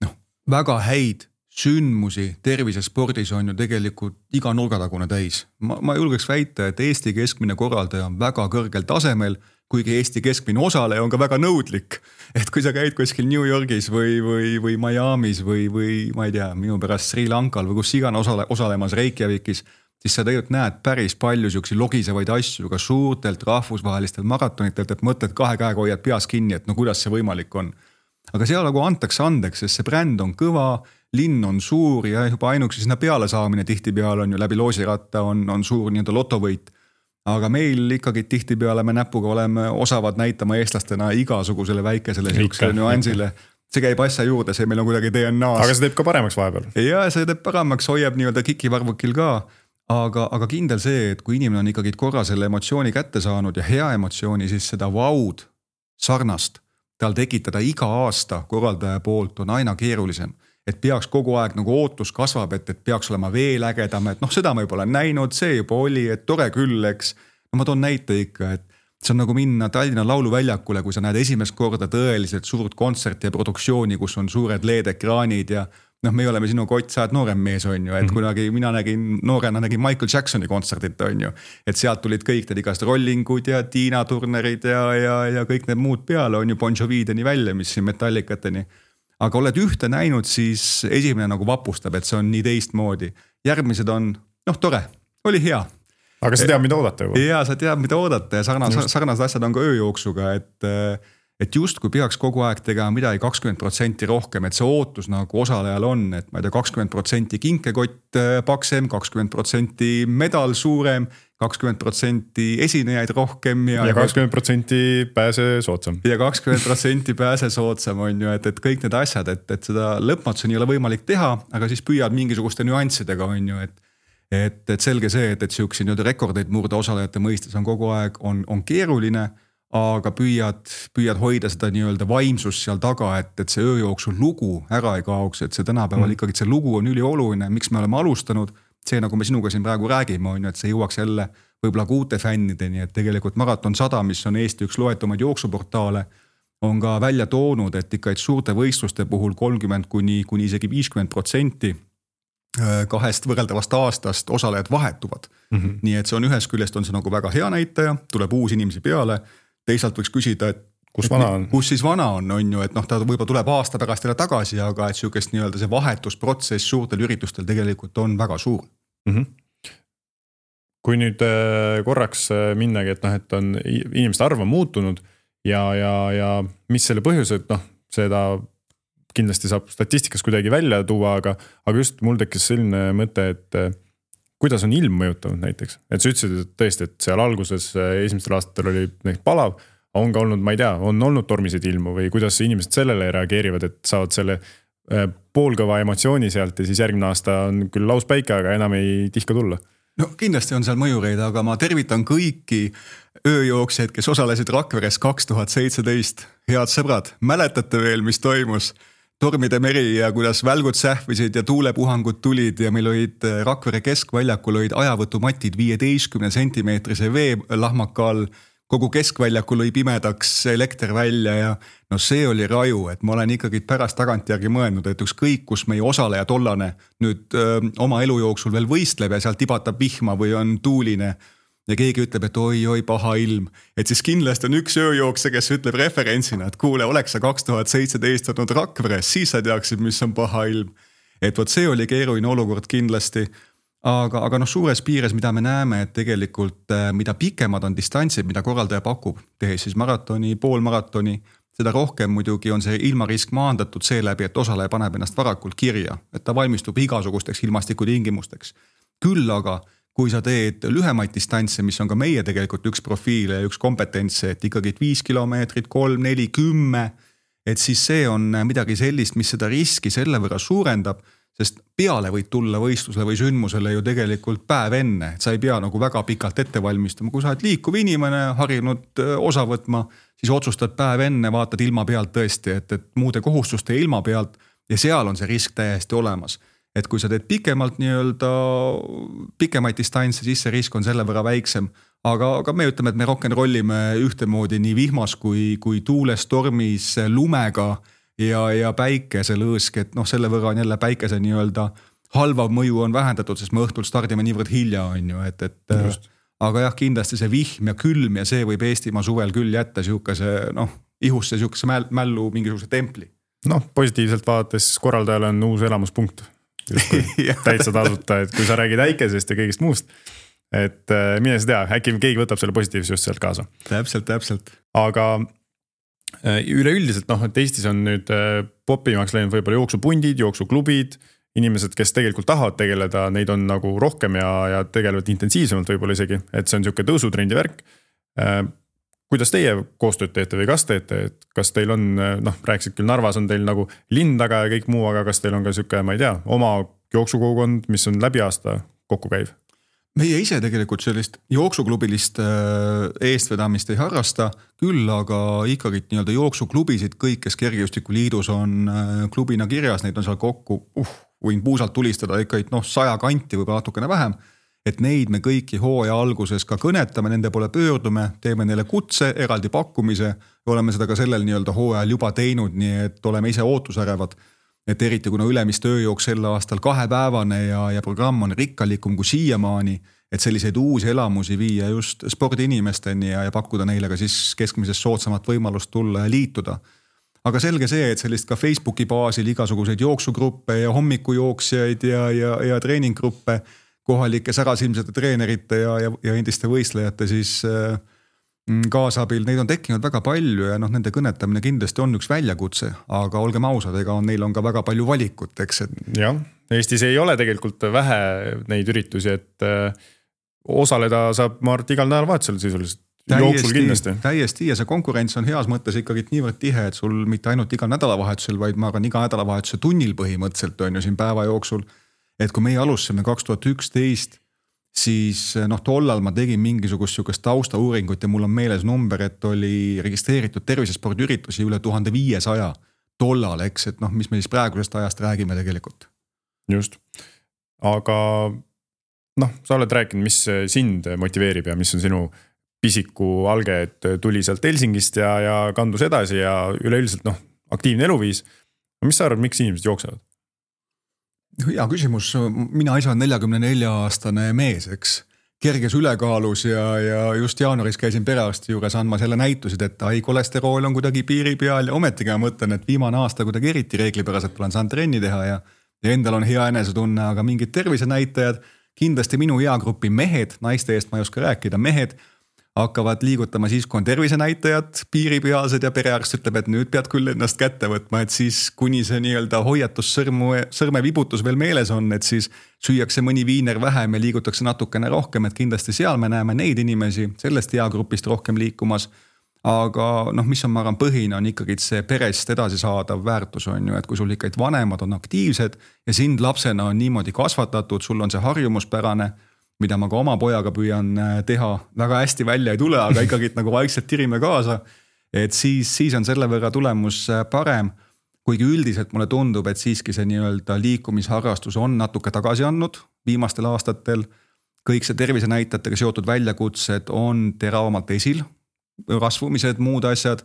noh, väga häid sündmusi tervisespordis on ju tegelikult iga nurgatagune täis. Ma, ma julgeks väita, et Eesti keskmine korraldaja on väga kõrgel tasemel, kuigi Eesti keskmine osaleja on ka väga nõudlik. Et kui sa käid kuskil New Yorgis või, või, või Miamis või, või ma ei tea, minu pärast Sri Lankal või kus igana osale, osalemas Reykjavikis, siis sa tegelikult näed päris palju siuksi logisevaid asju ka suurtelt rahvusvahelistel maratonitelt, et mõtled kahe käega hoiad peas kinni, et no kuidas see võimalik on. Aga seal nagu antakse andeks, sest see bränd on kõva, linn on suur ja juba ainuks sinna peale saamine tihtipeale on ju läbi loosiratta on, on suur nii-öelda lotovõit. Aga meil ikkagi tihtipeale me näpuga oleme osavad näitama eestlastena igasugusele väikesele siuksele nüansile. See käib asja juurde, see meil on kuidagi D N A-s. Aga see teeb ka paremaks vahepeal. Ja see teeb paremaks, hoiab nii-öelda kikivarvukil ka. Aga, aga kindel see, et kui inimene on ikkagi korra selle emotsiooni kätte saanud ja hea emotsiooni, siis seda vaud sarnast tal tekitada iga aasta korraldaja poolt on aina keerulisem. Et peaks kogu aeg nagu ootus kasvab, et, et peaks olema veel ägedam, et noh, seda ma juba olen näinud, see juba oli, et tore küll, eks. No ma toon näite ikka, et see on nagu minna Tallinna lauluväljakule, kui sa näed esimest korda tõeliselt suurt kontserti ja produktsiooni, kus on suured L E D-ekraanid ja noh, me oleme sinu Kott, sa oled noorem mees on ju, et kunagi mina nägin, noorena nägin Michael Jacksoni kontserdit on ju, et sealt tulid kõik need igast rollingud ja Tiina Turnerid ja, ja, ja kõik need muud peale on ju Bon Jovideni välja, mis siin metallikateni. Aga oled ühte näinud, siis esimene nagu vapustab, et see on nii teistmoodi. Järgmised on, noh tore, oli hea. Aga sa tead, mida oodata juba? Jaa, sa tead, mida oodata ja sarnased, sarnased asjad on ka ööjooksuga, et, et just kui peaks kogu aeg tegema midagi kakskümmend protsenti rohkem, et see ootus nagu osalejal on, et ma ei tea, kakskümmend protsenti kinkekott paksem, kakskümmend protsenti medal suurem, kakskümmend protsenti esinejaid rohkem ja, ja kakskümmend protsenti pääse soodsam. Ja kakskümmend protsenti pääse soodsam on ju, et, et kõik need asjad, et, et seda lõpmatuseni ei ole võimalik teha, aga siis püüad mingisuguste nüanssidega on ju, et et, et selge see, et, et siuksi nii-öelda rekordeid murda osalejate mõistes on kogu aeg on, on keeruline, aga püüad, püüad hoida seda nii-öelda vaimsust seal taga, et, et see ööjooksu lugu ära ei kaoks, et see tänapäeval mm. ikkagi see lugu on ülioluline, miks me oleme alustanud. See nagu me sinuga siin praegu räägime on ju, et see jõuaks jälle võib-olla kuute fännideni, et tegelikult Maraton sada, mis on Eesti üks loetumaid jooksuportaale, on ka välja toonud, et ikka et suurte võistluste puhul kolmkümmend kuni, kuni isegi viiskümmend protsenti kahest võrreldavast aastast osalejad vahetuvad. Mm -hmm. Nii et see on ühest küljest on see nagu väga hea näitaja, tuleb uusi inimesi peale, teisalt võiks küsida, et kus vana on? Kus siis vana on, on ju, et noh, ta võib-olla tuleb aasta pärast jälle tagasi, aga et siukest nii-öelda see vahetusprotsess suurtel üritustel tegelikult on väga suur. Mm -hmm. Kui nüüd korraks minnagi, et noh, et on inimeste arv on muutunud ja, ja, ja mis selle põhjus, et noh, seda kindlasti saab statistikas kuidagi välja tuua, aga, aga just mul tekkis selline mõte, et kuidas on ilm mõjutanud näiteks. Et sa ütlesid, et tõesti, et seal alguses esimestel aastatel oli näiteks palav, on ka olnud, ma ei tea, on olnud tormiseid ilmu või kuidas inimesed sellele reageerivad, et saavad selle poolkõva emotsiooni sealt ja siis järgmine aasta on küll lauspäike, aga enam ei tihka tulla. No kindlasti on seal mõjureid, aga ma tervitan kõiki ööjooksjaid, kes osalesid Rakveres kaks tuhat seitseteist. Head sõbrad, mäletate veel, mis toimus? Tormide meri ja kuidas välgud sähvisid ja tuulepuhangud tulid ja meil olid Rakvere keskväljakul olid ajavõtumatid viieteistkümne sentimeetrise veelahmaka all. Kogu keskväljakul lõi pimedaks elekter välja ja no see oli raju, et ma olen ikkagi pärast tagantjärgi mõelnud, et ükskõik, kus meie osaleja tollane nüüd öö, oma elu jooksul veel võistleb ja seal tibatab vihma või on tuuline ja keegi ütleb, et oi-oi paha ilm, et siis kindlasti on üks ööjookse, kes ütleb referentsina, et kuule, oleks sa kaks tuhat seitseteist olnud Rakveres, siis sa teaksid, mis on paha ilm. Et võt see oli keeruline olukord kindlasti. Aga, aga noh, suures piires, mida me näeme, et tegelikult mida pikemad on distantsid, mida korraldaja pakub, tehes siis maratoni, poolmaratoni, seda rohkem muidugi on see ilmarisk maandatud seeläbi, et osaleja paneb ennast varakult kirja, et ta valmistub igasugusteks ilmastikutingimusteks. Küll aga, kui sa teed lühemaid distantse, mis on ka meie tegelikult üks profiil ja üks kompetentse, et ikkagi viis kilomeetrit, kolm, neli, kümme, et siis see on midagi sellist, mis seda riski selle võrra suurendab, sest peale võid tulla võistlusele või sündmusele ju tegelikult päev enne, et sa ei pea nagu väga pikalt ette valmistama. Kui sa oled liikuv inimene, harjunud osa võtma, siis otsustad päev enne, vaatad ilma pealt tõesti, et, et muude kohustuste ilma pealt ja seal on see risk täiesti olemas. Et kui sa teed pikemalt nii-öelda pikemaid distantse, siis see risk on selle võrra väiksem. Aga, aga me ütleme, et me rock'n'rollime ühtemoodi nii vihmas kui, kui tuules, stormis, lumega ja, ja päikese lõõsk, et noh, selle võrra on jälle päikese nii-öelda halvav mõju on vähendatud, sest me õhtul stardime niivõrd hilja on ju, et, et Just. Aga jah, kindlasti see vihm ja külm ja see võib Eestimaa suvel küll jätta siukese, noh, ihusse siukese mällu mingisuguse templi. Noh, positiivselt vaadates korraldajal on uus elamuspunkt. Täitsa tasuta, et kui sa räägid äikesest ja kõigist muust, et mine sa tea, äkki keegi võtab selle positiivse just sealt kaasa. Täpselt, täpselt. Aga üleüldiselt, noh, et Eestis on nüüd popimaks läinud võib-olla jooksupundid, jooksuklubid, inimesed, kes tegelikult tahavad tegeleda, neid on nagu rohkem ja, ja tegelevad intensiivsemalt võib-olla isegi, et see on siuke tõusutrendi värk. Kuidas teie koostööd teete või kas teete, et kas teil on, noh, rääksid küll Narvas on teil nagu linn taga ja kõik muu, aga kas teil on ka siuke, ma ei tea, oma jooksukogukond, mis on läbi aasta kokku käiv? Meie ise tegelikult sellist jooksuklubilist eestvedamist ei harrasta, küll aga ikkagi nii-öelda jooksuklubisid, kõik, kes Kergejõustikuliidus on klubina kirjas, neid on seal kokku, uh, võin puusalt tulistada ikka noh, saja kanti või natukene vähem, et neid me kõiki hooaja alguses ka kõnetame, nende poole pöördume, teeme neile kutse, eraldi pakkumise, oleme seda ka sellel nii-öelda hooajal juba teinud, nii et oleme ise ootusärevad. Et eriti kuna ülemist ööjooks sel aastal kahepäevane ja, ja programm on rikkalikum kui siiamaani, et selliseid uusi elamusi viia just spordiinimesteni ja, ja pakkuda neile ka siis keskmisest soodsamat võimalust tulla ja liituda. Aga selge see, et sellist ka Facebooki baasil igasuguseid jooksugruppe ja hommikujooksjaid ja, ja, ja treeninggruppe, kohalike särasilmsete treenerite ja, ja, ja endiste võistlejate siis äh, kaasabil, neid on tekkinud väga palju ja noh, nende kõnetamine kindlasti on üks väljakutse, aga olgem ausad, ega on, neil on ka väga palju valikut, eks. Et... jah, Eestis ei ole tegelikult vähe neid üritusi, et osaleda saab Mart igal nädal vahetusel sisuliselt. Jooksul kindlasti. Täiesti ja see konkurents on heas mõttes ikkagi niivõrd tihe, et sul mitte ainult igal nädalavahetusel, vaid ma arvan iga nädalavahetuse tunnil põhimõtteliselt on ju siin päeva jooksul, et kui meie alustasime kaks tuhat üksteist, siis noh, tollal ma tegin mingisugust siukest taustauuringut ja mul on meeles number, et oli registreeritud tervisespordiüritusi üle tuhande viiesaja tollal, eks, et noh, mis me siis praegusest ajast räägime tegelikult. Just. Aga noh, sa oled rääkinud, mis sind motiveerib ja mis on sinu pisiku alge, et tuli sealt Helsingist ja, ja kandus edasi ja üleüldiselt noh, aktiivne eluviis. Mis sa arvad, miks inimesed jooksevad? Hea küsimus, mina ise on neljakümne nelja aastane mees, eks, kerges ülekaalus ja, ja just jaanuaris käisin perearsti juures andmas jälle näitusid, et ai, kolesterool on kuidagi piiri peal ja ometigi ma mõtlen, et viimane aasta kuidagi eriti reeglipäraselt olen saanud trenni teha ja, ja endal on hea enesetunne, aga mingid tervisenäitajad, kindlasti minu eagrupi mehed, naiste eest ma ei oska rääkida, mehed hakkavad liigutama siis, kui on tervisenäitajad piiripealsed ja perearst ütleb, et nüüd pead küll ennast kätte võtma, et siis kuni see nii-öelda hoiatus sõrmu, sõrme vibutus veel meeles on, et siis süüakse mõni viiner vähem ja liigutakse natukene rohkem, et kindlasti seal me näeme neid inimesi sellest eagrupist rohkem liikumas. aga noh, mis on, ma arvan, põhine on ikkagi see perest edasi saadav väärtus on ju, et kui sul ikkagi vanemad on aktiivsed ja sind lapsena on niimoodi kasvatatud, sul on see harjumuspärane, mida ma ka oma pojaga püüan teha, väga hästi välja ei tule, aga ikkagi nagu vaikselt tirime kaasa, et siis, siis on selle võrra tulemus parem. Kuigi üldiselt mulle tundub, et siiski see nii-öelda liikumisharrastus on natuke tagasi andnud viimastel aastatel. Kõik see tervise näitajatega seotud väljakutsed on teravamalt esil, rasvumised, muud asjad.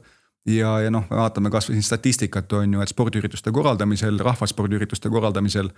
Ja, ja noh, me vaatame kas või siin statistikat on ju, et spordiürituste korraldamisel, rahvaspordiürituste korraldamisel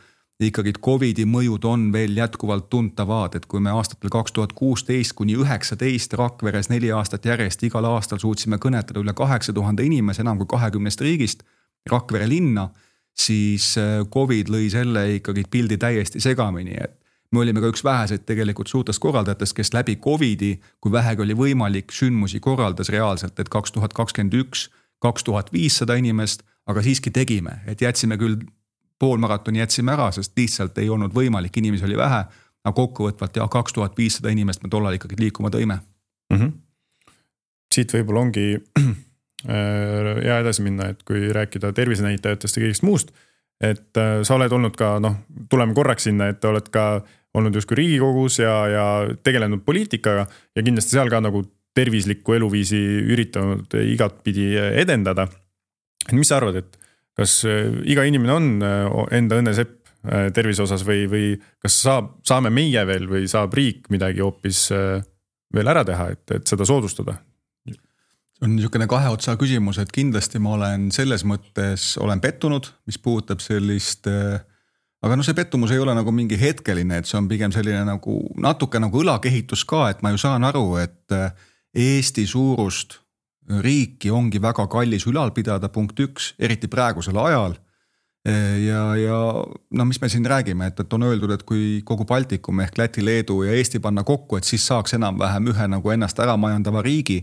ikkagi Covidi mõjud on veel jätkuvalt tuntavad, et kui me aastatel kaks tuhat kuusteist kuni üheksateist Rakveres neli aastat järjest igal aastal suutsime kõnetada üle kaheksa tuhande inimese enam kui kahekümnest riigist Rakvere linna, siis Covid lõi selle ikkagi pildi täiesti segamini, et me olime ka üks väheseid tegelikult suurtest korraldajatest, kes läbi Covidi, kui vähegi oli võimalik, sündmusi korraldas reaalselt, et kaks tuhat kakskümmend üks kaks tuhat viissada inimest, aga siiski tegime, et jätsime küll pool maratoni jätsime ära, sest lihtsalt ei olnud võimalik, inimesi oli vähe, aga kokkuvõtvalt ja kaks tuhat viissada inimest me tollal ikkagi liikuma tõime. Mm-hmm. Siit võib-olla ongi ja edasi minna, et kui rääkida tervisenäitajatest ja kõigist muust, et sa oled olnud ka, noh, tuleme korraks sinna, et oled ka olnud justkui Riigikogus ja, ja tegelenud poliitikaga ja kindlasti seal ka nagu tervislikku eluviisi üritanud igat pidi edendada. Et mis sa arvad, et kas iga inimene on enda õnnesepp tervise osas või, või kas saab, saame meie veel või saab riik midagi hoopis veel ära teha, et, et seda soodustada? On niisugune kahe otsa küsimus, et kindlasti ma olen selles mõttes, olen pettunud, mis puudutab sellist, aga no see pettumus ei ole nagu mingi hetkeline, et see on pigem selline nagu natuke nagu õlakehitus ka, et ma ju saan aru, et Eesti suurust riiki ongi väga kallis ülal pidada, punkt üks, eriti praegusel ajal. Ja, ja no mis me siin räägime, et, et on öeldud, et kui kogu Baltikum ehk Läti, Leedu ja Eesti panna kokku, et siis saaks enam vähem ühe nagu ennast ära majandava riigi.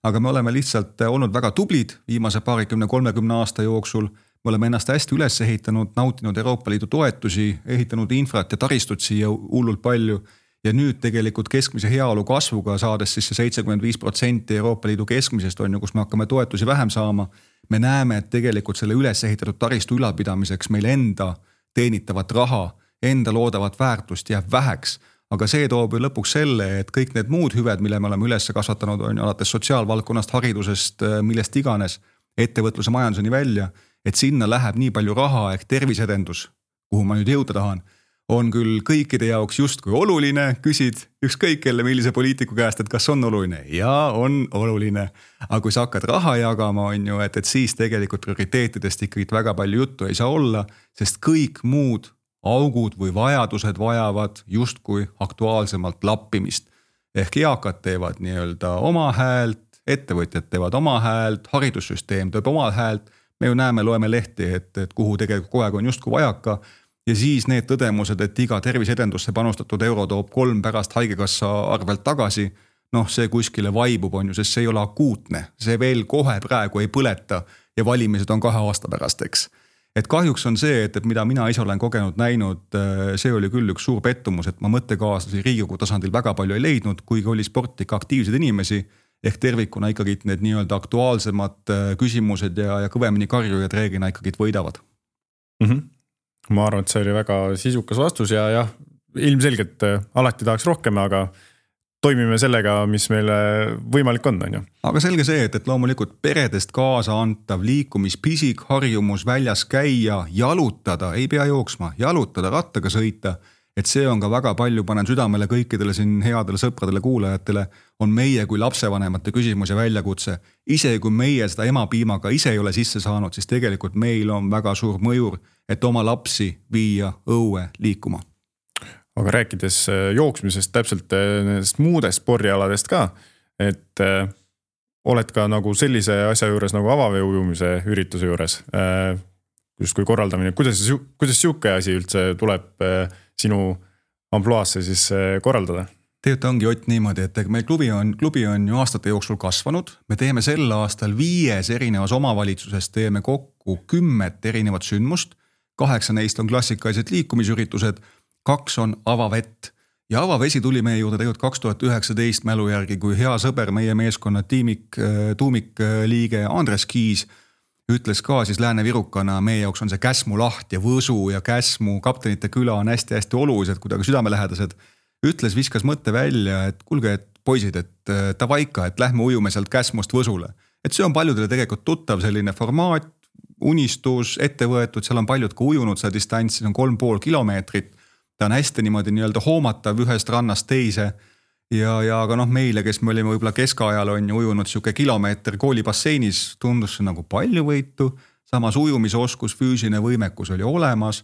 Aga me oleme lihtsalt olnud väga tublid viimase paarikümne kolmekümne aasta jooksul. Me oleme ennast hästi üles ehitanud, nautinud Euroopa Liidu toetusi, ehitanud infrat ja taristut siia hullult palju. Ja nüüd tegelikult keskmise heaolu kasvuga saades siis see seitsekümmend viis protsenti Euroopa Liidu keskmisest on ju, kus me hakkame toetusi vähem saama. Me näeme, et tegelikult selle üles ehitatud taristu ülalpidamiseks meil enda teenitavat raha, enda loodavat väärtust jääb väheks. Aga see toob ju lõpuks selle, et kõik need muud hüved, mille me oleme üles kasvatanud, on alates sotsiaalvaldkonnast, haridusest, millest iganes, ettevõtluse majanduseni välja, et sinna läheb nii palju raha ehk tervisedendus, kuhu ma nüüd jõuda tahan, on küll kõikide jaoks justkui oluline, küsid ükskõik kelle millise poliitiku käest, et kas on oluline. Ja on oluline. Aga kui sa hakkad raha jagama, on ju, et, et siis tegelikult prioriteetidest ikkagi väga palju juttu ei saa olla, sest kõik muud augud või vajadused vajavad justkui aktuaalsemalt lappimist. Ehk eakad teevad nii-öelda oma häält, ettevõtjad teevad oma häält, haridussüsteem teeb oma häält. Me ju näeme, loeme lehti, et, et kuhu tegelikult kogu aeg on justkui vajaka. Ja siis need tõdemused, et iga tervisedendusse panustatud euro toob kolm pärast haigekassa arvelt tagasi, noh see kuskile vaibub on ju, sest see ei ole akuutne. See veel kohe praegu ei põleta ja valimised on kahe aasta pärast, eks. Et kahjuks on see, et, et mida mina ise olen kogenud näinud, see oli küll üks suur pettumus, et ma mõttekaaslasi Riigikogu tasandil väga palju ei leidnud, kuigi oli sporti ka aktiivsed inimesi, ehk tervikuna ikkagi need nii-öelda aktuaalsemad küsimused ja, ja kõvemini karjujad reeglina ikkagi võidavad. Mhm. Ma arvan, et see oli väga sisukas vastus ja jah, ilmselgelt alati tahaks rohkem, aga toimime sellega, mis meile võimalik on, on ju. Aga selge see, et, et loomulikult peredest kaasa antav liikumispisik, harjumus väljas käia, jalutada, ei pea jooksma, jalutada, rattaga sõita, et see on ka väga palju, panen südamele kõikidele siin headele sõpradele, kuulajatele, on meie kui lapsevanemate küsimus ja väljakutse. Ise kui meie seda emapiimaga ise ei ole sisse saanud, siis tegelikult meil on väga suur mõjur, et oma lapsi viia õue liikuma. Aga rääkides jooksmisest, täpselt nendest muudest spordialadest ka, et äh, oled ka nagu sellise asja juures nagu avaveeujumise ürituse juures, äh, just kui korraldamine, kuidas, kuidas siuke asi üldse tuleb äh, sinu ampluaasse siis äh, korraldada? Tegelikult ongi Ott niimoodi, et meil klubi on, klubi on ju aastate jooksul kasvanud. Me teeme sel aastal viies erinevas omavalitsuses, teeme kokku kümmet erinevat sündmust. Kaheksa neist on klassikalised liikumisüritused, kaks on avavett ja avavesi tuli meie juurde tegelikult kaks tuhat üheksateist mälu järgi, kui hea sõber, meie meeskonna tiimik, tuumikliige Andres Kiis ütles ka siis Lääne-Virukana, meie jaoks on see Käsmu laht ja Võsu ja Käsmu kaptenite küla on hästi-hästi olulised, kuidagi südamelähedased. Ütles, viskas mõtte välja, et kuulge, et poisid, et tavaika, et lähme ujume sealt Käsmust Võsule. Et see on paljudele tegelikult tuttav selline formaat, unistus, ette võetud, seal on paljud ka ujunud, see distants on kolm pool kilomeetrit. Ta on hästi niimoodi nii-öelda hoomatav ühest rannast teise ja, ja aga noh, meile, kes me olime võib-olla keskajal on ujunud siuke kilomeeter koolibasseinis, tundus see nagu palju võitu, samas ujumisoskus, füüsiline võimekus oli olemas.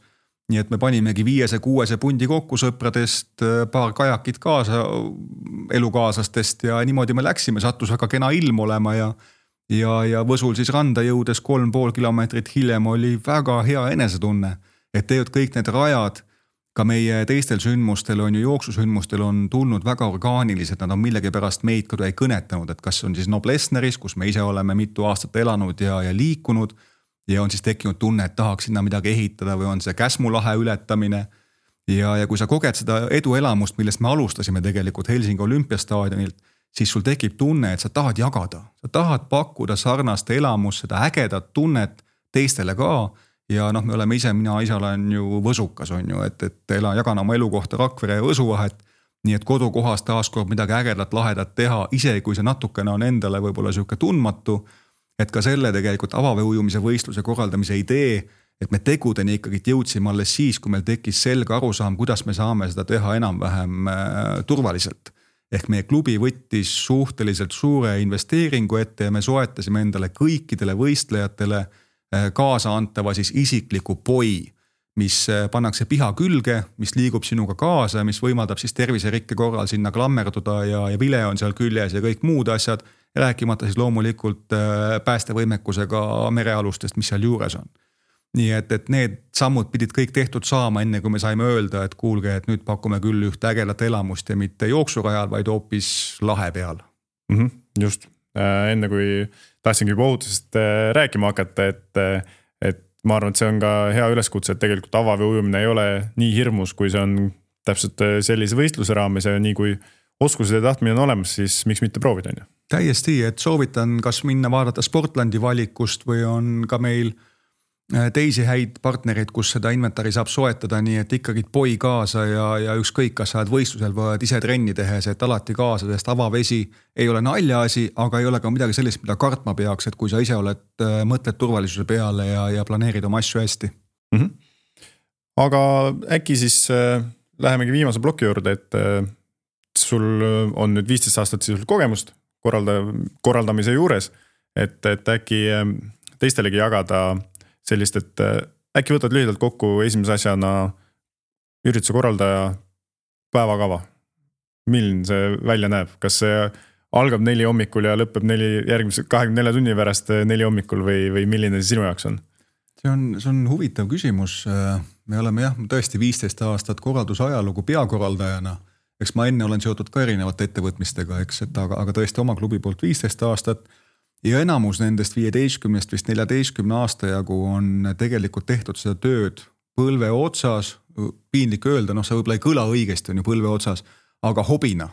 Nii et me panimegi viiese, kuuese pundi kokku sõpradest, paar kajakit kaasa elukaaslastest ja niimoodi me läksime, sattus väga kena ilm olema ja, ja, ja Võsul siis randa jõudes kolm pool kilomeetrit hiljem oli väga hea enesetunne, et tegelikult kõik need rajad, ka meie teistel sündmustel on ju jooksusündmustel on tulnud väga orgaanilised, nad on millegi pärast meid ka ei kõnetanud, et kas on siis Noblessneris, kus me ise oleme mitu aastat elanud ja, ja liikunud ja on siis tekkinud tunne, et tahaks sinna midagi ehitada või on see Käsmu lahe ületamine ja, ja kui sa koged seda eduelamust, millest me alustasime tegelikult Helsingi olümpiastaadionilt, siis sul tekib tunne, et sa tahad jagada, sa tahad pakkuda sarnast elamust, seda ägedat tunnet teistele ka. Ja noh, me oleme ise, mina ise olen ju Võsukas on ju, et, et ela, jagan oma elukohta Rakvere ja Võsu vahet, nii et kodukohas taaskord midagi ägedat, lahedat teha, ise kui see natukene on endale võib-olla siuke tundmatu, et ka selle tegelikult avavee ujumise võistluse korraldamise idee, et me tegudeni ikkagi jõudsime alles siis, kui meil tekkis selge arusaam, kuidas me saame seda teha enam-vähem turvaliselt. Ehk meie klubi võttis suhteliselt suure investeeringu ette ja me soetasime endale kõikidele võistlejatele kaasa antava siis isikliku poi, mis pannakse piha külge, mis liigub sinuga kaasa, mis võimaldab siis terviserikke korral sinna klammerduda ja, ja vile on seal küljes ja kõik muud asjad, rääkimata siis loomulikult päästevõimekusega merealustest, mis seal juures on. Nii et, et need sammud pidid kõik tehtud saama enne, kui me saime öelda, et kuulge, et nüüd pakume küll üht ägelat elamust ja mitte jooksurajal, vaid hoopis lahe peal. Mm-hmm, just, enne kui tahtsingi juba ohutusest rääkima hakata, et, et ma arvan, et see on ka hea üleskutse, et tegelikult avavee ujumine ei ole nii hirmus, kui see on täpselt sellise võistluse raames ja nii kui oskused ja tahtmine on olemas, siis miks mitte proovida? Täiesti, et soovitan kas minna vaadata Sportlandi valikust või on ka meil teisi häid partnereid, kus seda inventari saab soetada, nii et ikkagi poi kaasa ja, ja ükskõik, kas sa oled võistlusel või ise trenni tehes, et alati kaasa, sest avavesi ei ole naljaasi, aga ei ole ka midagi sellist, mida kartma peaks, et kui sa ise oled mõtled turvalisuse peale ja, ja planeerid oma asju hästi. Mm-hmm. Aga äkki siis äh, lähemegi viimase ploki juurde, et äh, sul on nüüd viisteist aastat sisuliselt kogemust korralda, korraldamise juures, et, et äkki äh, teistelegi jagada sellist, et äkki võtad lühidalt kokku esimese asjana ürituse korraldaja päevakava. Milline see välja näeb? Kas see algab neli hommikul ja lõpeb neli, järgmise kahekümne nelja tunni pärast neli hommikul või, või milline see sinu jaoks on? See on, see on huvitav küsimus. Me oleme jah, tõesti viisteist aastat korraldusajalugu peakorraldajana. Eks ma enne olen seotud ka erinevate ettevõtmistega, eks, et aga, aga tõesti oma klubi poolt viisteist aastat. Ja enamus nendest viieteistkümnest vist neljateistkümne aasta jagu on tegelikult tehtud seda tööd põlve otsas, piinlik öelda, noh see võib-olla ei kõla õigesti, on ju põlve otsas, aga hobina.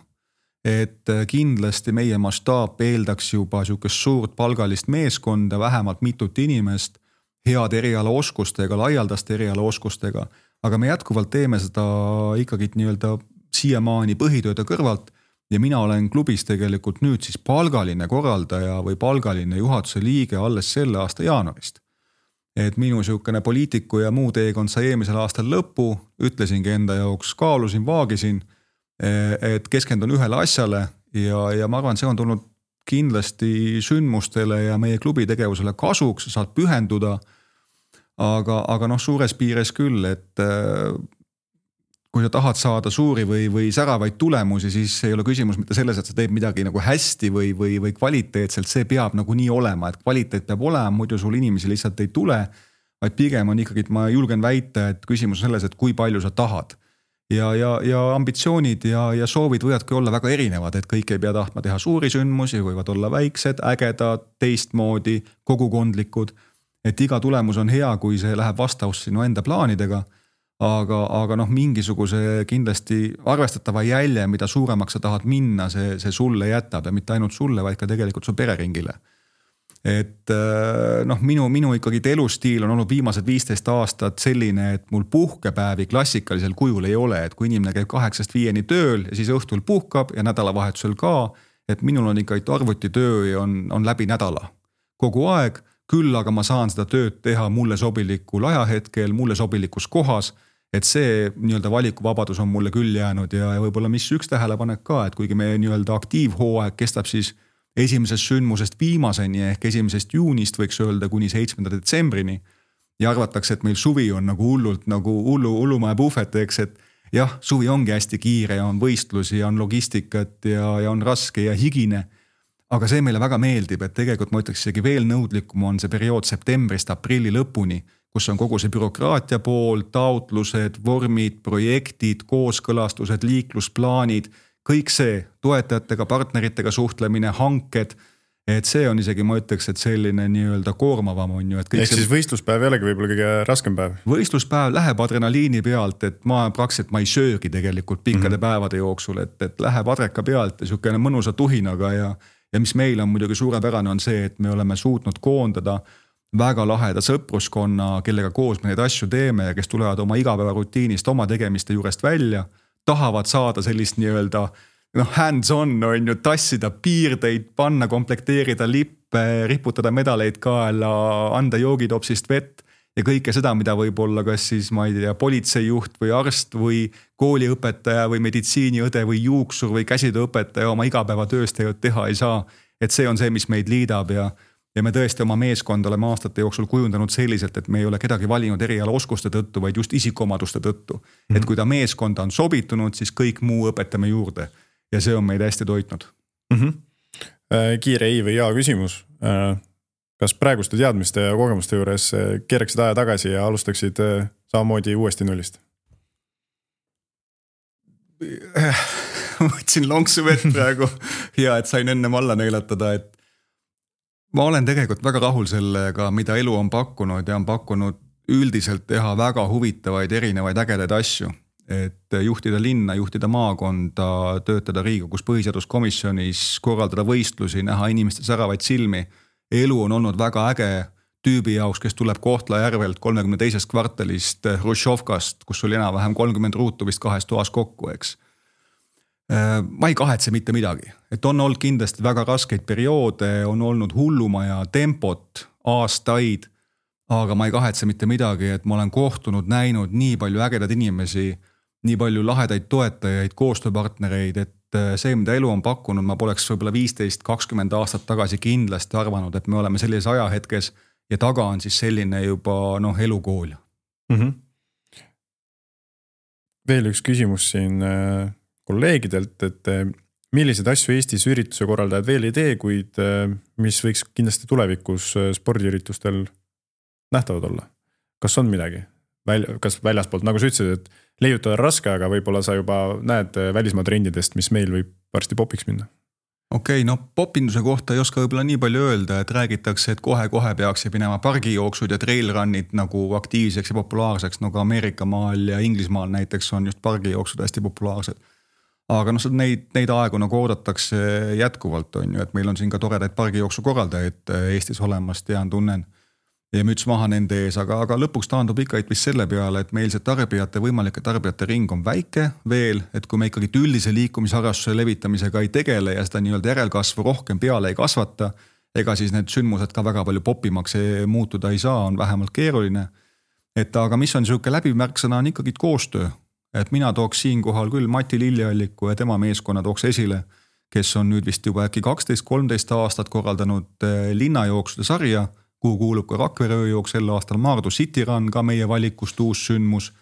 Et kindlasti meie mastaap eeldaks juba siukest suurt palgalist meeskonda, vähemalt mitut inimest, head eriala oskustega, laialdaste eriala oskustega, aga me jätkuvalt teeme seda ikkagi nii-öelda siiamaani põhitööde kõrvalt. Ja mina olen klubis tegelikult nüüd siis palgaline korraldaja või palgaline juhatuse liige alles selle aasta jaanuarist. Et minu siukene poliitiku ja muu teekond sai eelmisel aastal lõppu, ütlesingi enda jaoks, kaalusin, vaagisin, et keskendun ühele asjale ja, ja ma arvan, see on tulnud kindlasti sündmustele ja meie klubi tegevusele kasuks, saad pühenduda, aga, aga noh, suures piires küll, et kui sa tahad saada suuri või, või säravaid tulemusi, siis ei ole küsimus mitte selles, et sa teed midagi nagu hästi või, või, või kvaliteetselt, see peab nagu nii olema, et kvaliteet peab olema, muidu sul inimesi lihtsalt ei tule, vaid pigem on ikkagi, et ma julgen väita, et küsimus on selles, et kui palju sa tahad. Ja, ja, ja ambitsioonid ja, ja soovid võivadki olla väga erinevad, et kõik ei pea tahtma teha suuri sündmusi, võivad olla väiksed, ägedad, teistmoodi, kogukondlikud, et iga tulemus on hea, kui see läheb vastavusse sinu enda plaanidega. aga, aga noh, mingisuguse kindlasti arvestatava jälje, mida suuremaks sa tahad minna, see, see sulle jätab ja mitte ainult sulle, vaid ka tegelikult su pereringile. Et noh, minu, minu ikkagi elustiil on olnud viimased viisteist aastat selline, et mul puhkepäevi klassikalisel kujul ei ole, et kui inimene käib kaheksast viieni tööl ja siis õhtul puhkab ja nädalavahetusel ka, et minul on ikka arvutitöö ja on, on läbi nädala kogu aeg, küll aga ma saan seda tööd teha mulle sobilikul ajahetkel, mulle sobilikus kohas, et see nii-öelda valikuvabadus on mulle küll jäänud ja, ja võib-olla mis üks tähelepanek ka, et kuigi meie nii-öelda aktiivhooaeg kestab siis esimesest sündmusest viimaseni ehk esimesest juunist võiks öelda kuni seitsmenda detsembrini ja arvatakse, et meil suvi on nagu hullult nagu hullu, hullumaja puhvet, eks, et jah, suvi ongi hästi kiire ja on võistlusi ja on logistikat ja, ja on raske ja higine, aga see meile väga meeldib, et tegelikult ma ütleks isegi veel nõudlikum on see periood septembrist aprilli lõpuni, kus on kogu see bürokraatia pool, taotlused, vormid, projektid, kooskõlastused, liiklusplaanid, kõik see, toetajatega, partneritega suhtlemine, hanked, et see on isegi, ma ütleks, et selline nii-öelda koormavam on ju. Ehk siis võistluspäev jällegi võib-olla kõige raskem päev? Võistluspäev läheb adrenaliini pealt, et ma praktiliselt ma ei söögi tegelikult pikkade mm-hmm. päevade jooksul, et, et läheb adreka pealt ja niisugune mõnusa tuhinaga ja, ja mis meil on muidugi suurepärane on see, et me oleme suutnud koondada väga laheda sõpruskonna, kellega koos me neid asju teeme ja kes tulevad oma igapäevarutiinist, oma tegemiste juurest välja, tahavad saada sellist nii-öelda noh, hands on, on ju, tassida piirdeid, panna, komplekteerida lippe, riputada medaleid kaela, anda joogitopsist vett ja kõike seda, mida võib-olla kas siis, ma ei tea, politseijuht või arst või kooliõpetaja või meditsiiniõde või juuksur või käsitööõpetaja oma igapäevatööst teha ei saa. Et see on see, mis meid liidab ja Ja me tõesti oma meeskond oleme aastate jooksul kujundanud selliselt, et me ei ole kedagi valinud eriala oskuste tõttu, vaid just isikuomaduste tõttu. Mm-hmm. Et kui ta meeskonda on sobitunud, siis kõik muu õpetame juurde. Ja see on meid hästi toitnud. Mm-hmm. Kiire ei või jaa küsimus. Kas praeguste teadmiste ja kogemuste juures keeraksid aja tagasi ja alustaksid samamoodi uuesti nullist? Võtsin lonksu vett praegu. Hea, et sain enne alla neelatada, et ma olen tegelikult väga rahul sellega, mida elu on pakkunud ja on pakkunud üldiselt teha väga huvitavaid erinevaid ägedaid asju. Et juhtida linna, juhtida maakonda, töötada Riigikogus põhiseaduskomisjonis, korraldada võistlusi, näha inimeste säravaid silmi. Elu on olnud väga äge tüübi jaoks, kes tuleb Kohtla-Järvelt kolmekümne teisest kvartalist Hruštšovkast, kus oli enam-vähem kolmkümmend ruutu vist kahes toas kokku, eks. Ma ei kahetse mitte midagi, et on olnud kindlasti väga raskeid perioode, on olnud hullumaja tempot, aastaid, aga ma ei kahetse mitte midagi, et ma olen kohtunud, näinud nii palju ägedad inimesi, nii palju lahedaid toetajaid, koostööpartnereid, et see, mida elu on pakkunud, ma poleks võib-olla viisteist kakskümmend aastat tagasi kindlasti arvanud, et me oleme sellises ajahetkes ja taga on siis selline juba noh, elukool. Mm-hmm. Veel üks küsimus siin kolleegidelt, et millised asju Eestis ürituse korraldajad veel ei tee, kuid mis võiks kindlasti tulevikus spordiüritustel nähtavad olla? Kas on midagi? Väl- kas väljaspoolt, nagu sa ütlesid, et leiutada raske, aga võib-olla sa juba näed välismaa trendidest, mis meil võib varsti popiks minna? Okei, okay, no popinduse kohta ei oska võib-olla nii palju öelda, et räägitakse, et kohe-kohe peaks minema pargijooksud ja trailrunnid nagu aktiivseks ja populaarseks, nagu Ameerika maal ja Inglismaal näiteks on just pargijooksud hästi populaarsed. Aga noh, neid, neid aegu nagu oodatakse jätkuvalt on ju, et meil on siin ka toredaid pargijooksu korraldajaid Eestis olemas, tean, tunnen ja müts maha nende ees, aga, aga lõpuks taandub ikka vist selle peale, et meil see tarbijate, võimalike tarbijate ring on väike veel, et kui me ikkagi üldise liikumisharrastuse levitamisega ei tegele ja seda nii-öelda järelkasvu rohkem peale ei kasvata, ega siis need sündmused ka väga palju popimaks muutuda ei saa, on vähemalt keeruline. Et aga mis on niisugune läbimärksõna on ikkagi koostöö. Et mina tooks siin kohal küll Mati Lillealliku ja tema meeskonna tooks esile, kes on nüüd vist juba äkki kaksteist kolmteist aastat korraldanud linnajooksude sarja, kuhu kuulub ka Rakvere ööjooks sel aastal Maardu City Run, ka meie valikust uus sündmus.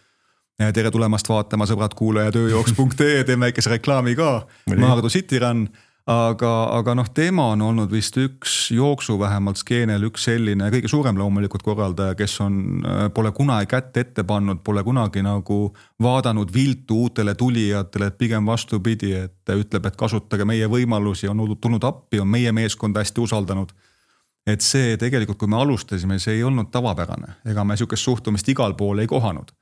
Tere tulemast vaatama, sõbrad kuulajad, ööjooks punkt ee, teeme väikese reklaami ka, Maardu City Run. Aga, aga noh, tema on olnud vist üks jooksu vähemalt skeenel, üks selline kõige suurem loomulikult korraldaja, kes on, pole kunagi kätt ette pannud, pole kunagi nagu vaadanud viltu uutele tulijatele, et pigem vastupidi, et ütleb, et kasutage meie võimalusi, on tulnud appi, on meie meeskond hästi usaldanud. Et see tegelikult, kui me alustasime, see ei olnud tavapärane, ega me niisugust suhtumist igal pool ei kohanud.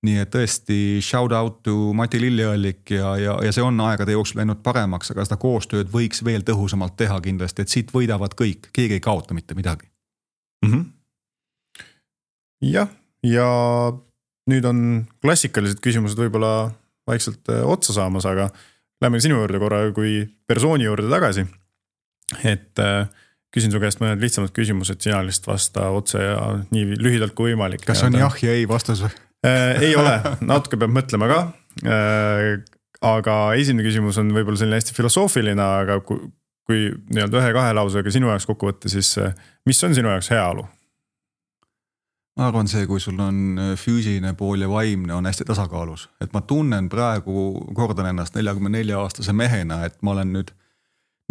nii et tõesti shout out to Mati Lilleallik ja, ja, ja see on aegade jooksul läinud paremaks, aga seda koostööd võiks veel tõhusamalt teha kindlasti, et siit võidavad kõik, keegi ei kaota mitte midagi. Mm-hmm. Jah, ja nüüd on klassikalised küsimused võib-olla vaikselt otsa saamas, aga lähme sinu juurde korra kui persooni juurde tagasi. Et küsin su käest mõned lihtsamad küsimused, sina lihtsalt vasta otse ja nii lühidalt kui võimalik. Kas on jah ja ei vastus või? Ei ole, natuke peab mõtlema ka, aga esimene küsimus on võib-olla selline hästi filosoofiline, aga kui, kui nii-öelda ühe-kahe lausega sinu jaoks kokku võtta, siis mis on sinu jaoks heaolu? Ma arvan see, kui sul on füüsiline pool ja vaimne on hästi tasakaalus, et ma tunnen praegu, kordan ennast neljakümne nelja aastase mehena, et ma olen nüüd,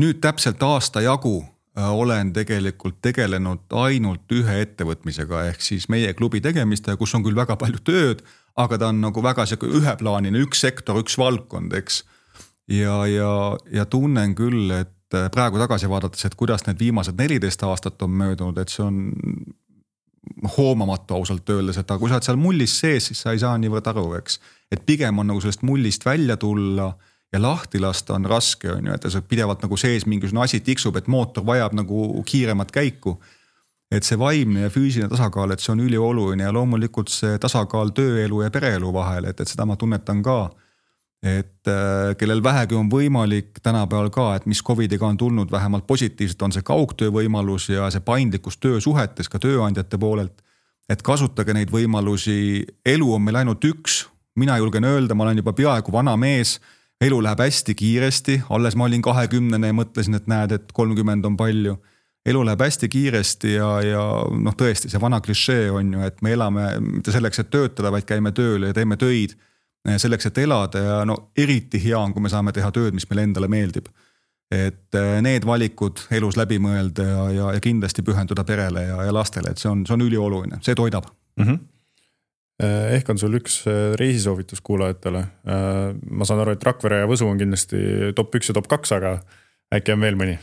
nüüd täpselt aasta jagu olen tegelikult tegelenud ainult ühe ettevõtmisega ehk siis meie klubi tegemiste, kus on küll väga palju tööd, aga ta on nagu väga üheplaanine, üks sektor, üks valdkond, eks. Ja, ja, ja tunnen küll, et praegu tagasi vaadates, et kuidas need viimased neliteist aastat on möödunud, et see on hoomamatu ausalt öeldes, et kui sa oled seal mullis sees, siis sa ei saa niivõrd aru, eks. Et pigem on nagu sellest mullist välja tulla ja lahti lasta on raske, on ju, et see pidevalt nagu sees mingisugune asi tiksub, et mootor vajab nagu kiiremat käiku. Et see vaimne ja füüsiline tasakaal, et see on ülioluline ja loomulikult see tasakaal tööelu ja pereelu vahel, et, et seda ma tunnetan ka. Et äh, kellel vähegi on võimalik tänapäeval ka, et mis covidiga on tulnud vähemalt positiivselt, on see kaugtöö võimalus ja see paindlikkus töösuhetes ka tööandjate poolelt. Et kasutage neid võimalusi, elu on meil ainult üks, mina julgen öelda, ma olen juba peaaegu vana mees, elu läheb hästi kiiresti, alles ma olin kahekümnene ja mõtlesin, et näed, et kolmkümmend on palju. Elu läheb hästi kiiresti ja, ja noh tõesti, see vana klišee on ju, et me elame mitte selleks, et töötada, vaid käime tööle ja teeme töid selleks, et elada ja no eriti hea on, kui me saame teha tööd, mis meile endale meeldib. Et need valikud elus läbi mõelda ja, ja, ja kindlasti pühenduda perele ja, ja lastele, et see on, see on ülioluline, see toidab. Mm-hmm. Ehk on sul üks reisisoovitus kuulajatele. Ma saan aru, et Rakvere ja Võsu on kindlasti top üks ja top kaks, aga äkki on veel mõni?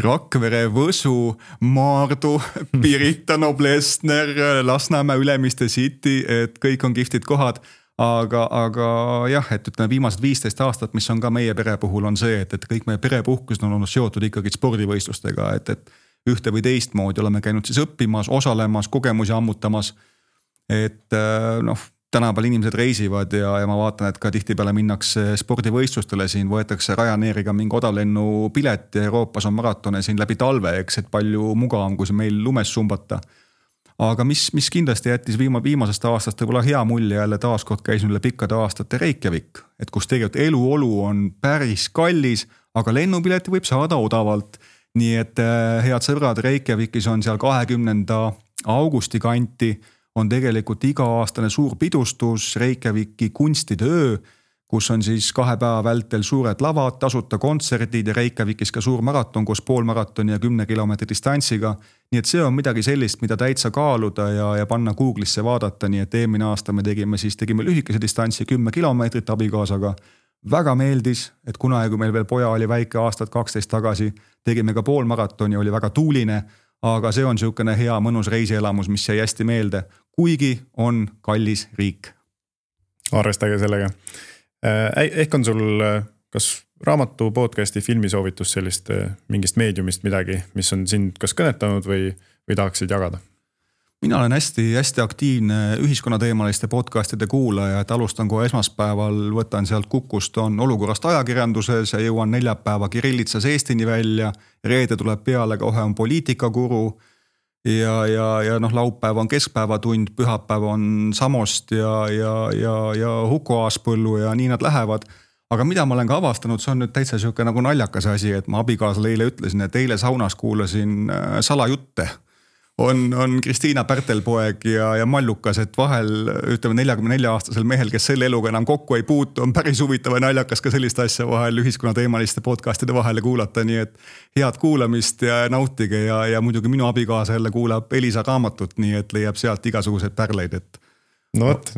Rakvere, Võsu, Maardu, Pirita, Noblessner, Lasnamäe, Ülemiste City, et kõik on kihvtid kohad. Aga, aga jah, et ütleme viimased viisteist aastat, mis on ka meie pere puhul on see, et, et kõik meie perepuhkused on olnud seotud ikkagi spordivõistlustega, et, et ühte või teist moodi oleme käinud siis õppimas, osalemas, kogemusi ammutamas. Et noh, tänapäeval inimesed reisivad ja, ja ma vaatan, et ka tihtipeale minnakse spordivõistlustele siin, võetakse Ryanairiga mingi odavlennu pilet ja Euroopas on maratone siin läbi talve, eks, et palju mugavam, kui see meil lumes sumbata. Aga mis, mis kindlasti jättis viima, viimasest aastast võib-olla hea mulje jälle taaskord käisin üle pikkade aastate Reykjavik, et kus tegelikult eluolu on päris kallis, aga lennupileti võib saada odavalt. Nii et head sõbrad, Reykjavikis on seal kahekümnenda augusti kanti on tegelikult iga-aastane suur pidustus Reykjaviki kunstide öö, kus on siis kahe päeva vältel suured lavad, tasuta kontserdid ja Reykjavikis ka suur maraton koos poolmaratoni ja kümne kilomeetri distantsiga. Nii et see on midagi sellist, mida täitsa kaaluda ja, ja panna Google'isse vaadata, nii et eelmine aasta me tegime siis tegime lühikese distantsi kümme kilomeetrit abikaasaga. Väga meeldis, et kunagi kui meil veel poja oli väike aastat kaksteist tagasi, tegime ka poolmaratoni, oli väga tuuline, aga see on niisugune hea mõnus reisielamus, mis jäi hästi meelde, kuigi on kallis riik. Arvestage sellega. Ehk on sul kas raamatu, podcasti, filmisoovitus sellist mingist meediumist midagi, mis on sind kas kõnetanud või, või tahaksid jagada? Mina olen hästi, hästi aktiivne ühiskonnateemaliste podcastide kuulaja, et alustan kohe esmaspäeval, võtan sealt Kukust, on olukorrast ajakirjanduses ja jõuan neljapäeva Kirillitsas Eestini välja, reede tuleb peale, kohe on poliitikakuru ja, ja, ja noh, laupäev on keskpäevatund, pühapäev on Samost ja, ja, ja, ja Huko Aaspõllu ja nii nad lähevad. Aga mida ma olen ka avastanud, see on nüüd täitsa siuke nagu naljakas asi, et ma abikaasale eile ütlesin, et eile saunas kuulasin salajutte. On, on Kristiina Pärtelpoeg ja, ja Mallukas, et vahel ütleme neljakümne nelja aastasel mehel, kes selle eluga enam kokku ei puutu, on päris huvitav ja naljakas ka sellist asja vahel ühiskonnateemaliste podcastide vahele kuulata, nii et head kuulamist ja nautige ja, ja muidugi minu abikaasa jälle kuulab Elisa raamatut, nii et leiab sealt igasuguseid pärleid, et no võt,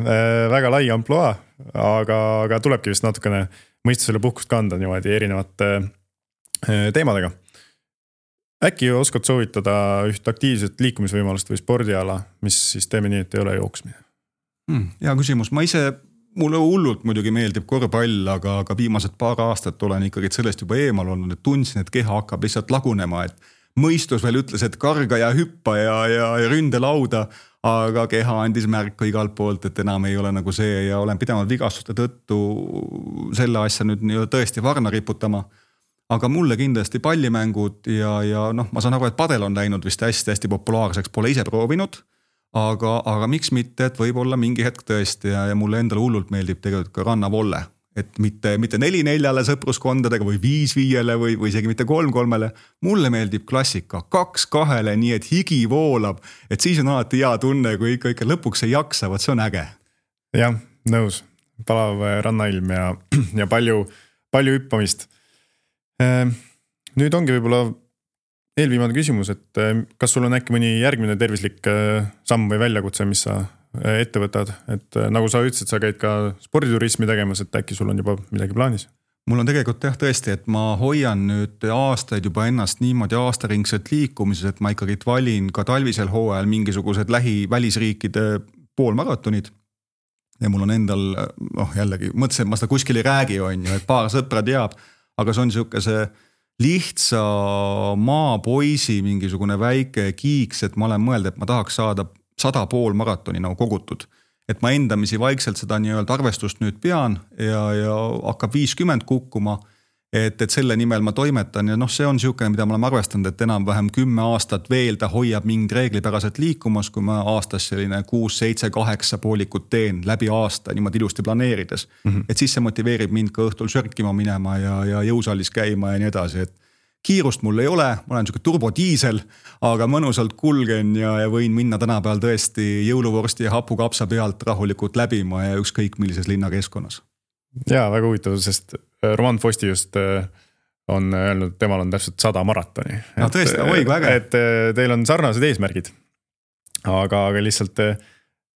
väga lai amploa, aga, aga tulebki vist natukene mõistusele puhkust kanda niimoodi erinevate teemadega. Äkki oskad soovitada üht aktiivset liikumisvõimalust või spordiala, mis siis teeme nii, et ei ole jooksmine? Hmm, hea küsimus, ma ise, mulle hullult muidugi meeldib korvpall, aga, aga viimased paar aastat olen ikkagi sellest juba eemal olnud, et tundsin, et keha hakkab lihtsalt lagunema, et mõistus veel ütles, et karga ja hüppa ja, ja, ja ründe lauda, aga keha andis märku igalt poolt, et enam ei ole nagu see ja olen pidanud vigastuste tõttu selle asja nüüd nii tõesti varna riputama. Aga mulle kindlasti pallimängud ja, ja noh, ma saan aru, et padel on läinud vist hästi-hästi populaarseks, pole ise proovinud. Aga, aga miks mitte, et võib-olla mingi hetk tõesti ja, ja mulle endale hullult meeldib tegelikult ka rannavolle. Et mitte, mitte neli neljale sõpruskondadega või viis viiele või, või isegi mitte kolm kolmele. Mulle meeldib klassika, kaks kahele, nii et higi voolab. Et siis on alati hea tunne, kui ikka, ikka lõpuks ei jaksa, vaat see on äge. Jah, nõus. Palav rannailm ja, ja palju, palju hüppamist. Nüüd ongi võib-olla eelviimane küsimus, et kas sul on äkki mõni järgmine tervislik samm või väljakutse, mis sa ette võtad, et nagu sa ütlesid, sa käid ka sporditurismi tegemas, et äkki sul on juba midagi plaanis? Mul on tegelikult jah tõesti, et ma hoian nüüd aastaid juba ennast niimoodi aastaringselt liikumises, et ma ikkagi valin ka talvisel hooajal mingisugused lähi välisriikide poolmaratonid. Ja mul on endal, noh jällegi, mõtlesin, et ma seda kuskil ei räägi, on ju, et paar sõpra teab, aga see on siuke see lihtsa maapoisi mingisugune väike kiiks, et ma olen mõelda, et ma tahaks saada sada pool maratoni nagu kogutud. Et ma endamisi vaikselt seda nii-öelda arvestust nüüd pean ja, ja hakkab viiskümmend kukkuma, et, et selle nimel ma toimetan ja noh, see on siukene, mida ma olen arvestanud, et enam vähem kümme aastat veel ta hoiab mingid reeglipäraselt liikumas, kui ma aastas selline kuus, seitse, kaheksa poolikut teen läbi aasta niimoodi ilusti planeerides. Mm-hmm. Et siis see motiveerib mind ka õhtul sörkima minema ja, ja jõusallis käima ja nii edasi, et kiirust mul ei ole, ma olen siuke turbodiisel, aga mõnusalt kulgen ja, ja võin minna tänapäeval tõesti jõuluvorsti ja hapukapsa pealt rahulikult läbima ja ükskõik millises linnakeskkonnas. Jaa, väga huvitav, sest Roman Fosti just on öelnud, et temal on täpselt sada maratoni. No tõesti, oi, kui äge. Et teil on sarnased eesmärgid, aga, aga lihtsalt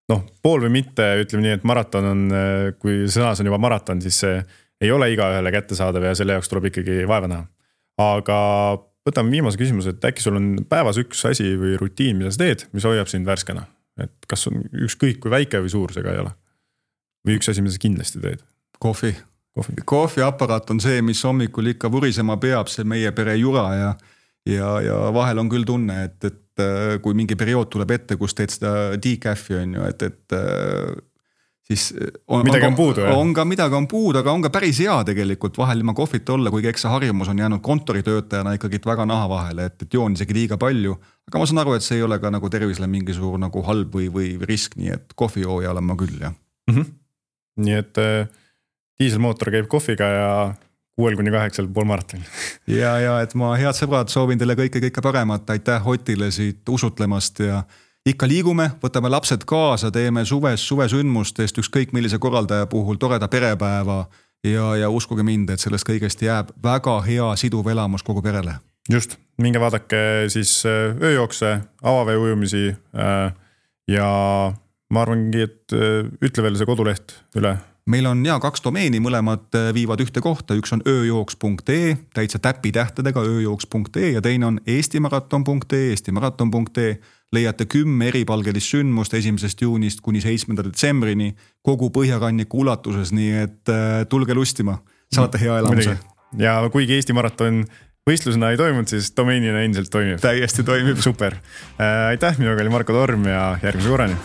noh, pool või mitte, ütleme nii, et maraton on, kui sõnas on juba maraton, siis see ei ole iga ühele kättesaadav ja selle jaoks tuleb ikkagi vaeva näha. Aga võtame viimase küsimuse, et äkki sul on päevas üks asi või rutiin, mida sa teed, mis hoiab sind värskena? Et kas on ükskõik kui väike või suur see ka ei ole? Või üks asi, mida sa kindlasti teed? Kohvi. Kohvi. Kohviaparaat on see, mis hommikul ikka vurisema peab, see meie pere jura ja, ja, ja vahel on küll tunne, et, et kui mingi periood tuleb ette, kus teed seda decaffi on ju, et, et siis on, midagi on, on puudu, on, on ka midagi on puudu, aga on ka päris hea tegelikult vahel ilma kohvit olla, kuigi eks see harjumus on jäänud kontoritöötajana ikkagi väga naha vahele, et, et joon isegi liiga palju, aga ma saan aru, et see ei ole ka nagu tervisele mingi suur nagu halb või, või risk, nii et kohvijooja olen ma küll, jah. Mm-hmm. Nii et diiselmootor käib kohviga ja kuuel kuni kaheksal pool maraton. ja, ja et ma head sõbrad soovin teile kõike, kõike paremat, aitäh Otile siit usutlemast ja ikka liigume, võtame lapsed kaasa, teeme suves, suvesündmustest ükskõik millise korraldaja puhul toreda perepäeva ja, ja uskuge mind, et sellest kõigest jääb väga hea siduv elamus kogu perele. Just, minge vaadake siis ööjookse, avavee ujumisi ja ma arvangi, et ütle veel see koduleht üle. Meil on ja kaks domeeni, mõlemad viivad ühte kohta, üks on ööjooks punkt ee, täitsa täpi tähtedega ööjooks punkt ee ja teine on eestimaraton punkt ee, eestimaraton punkt ee. Leiate kümme eripalgelist sündmust esimesest juunist kuni seitsmenda detsembrini kogu Põhjaranniku ulatuses, nii et tulge lustima, saate hea elamuse. Ja kuigi Eesti maraton võistlusena ei toimunud, siis domeenina endiselt toimib. Täiesti toimib. Super. Aitäh, minuga oli Marko Torm ja järgmise korrani.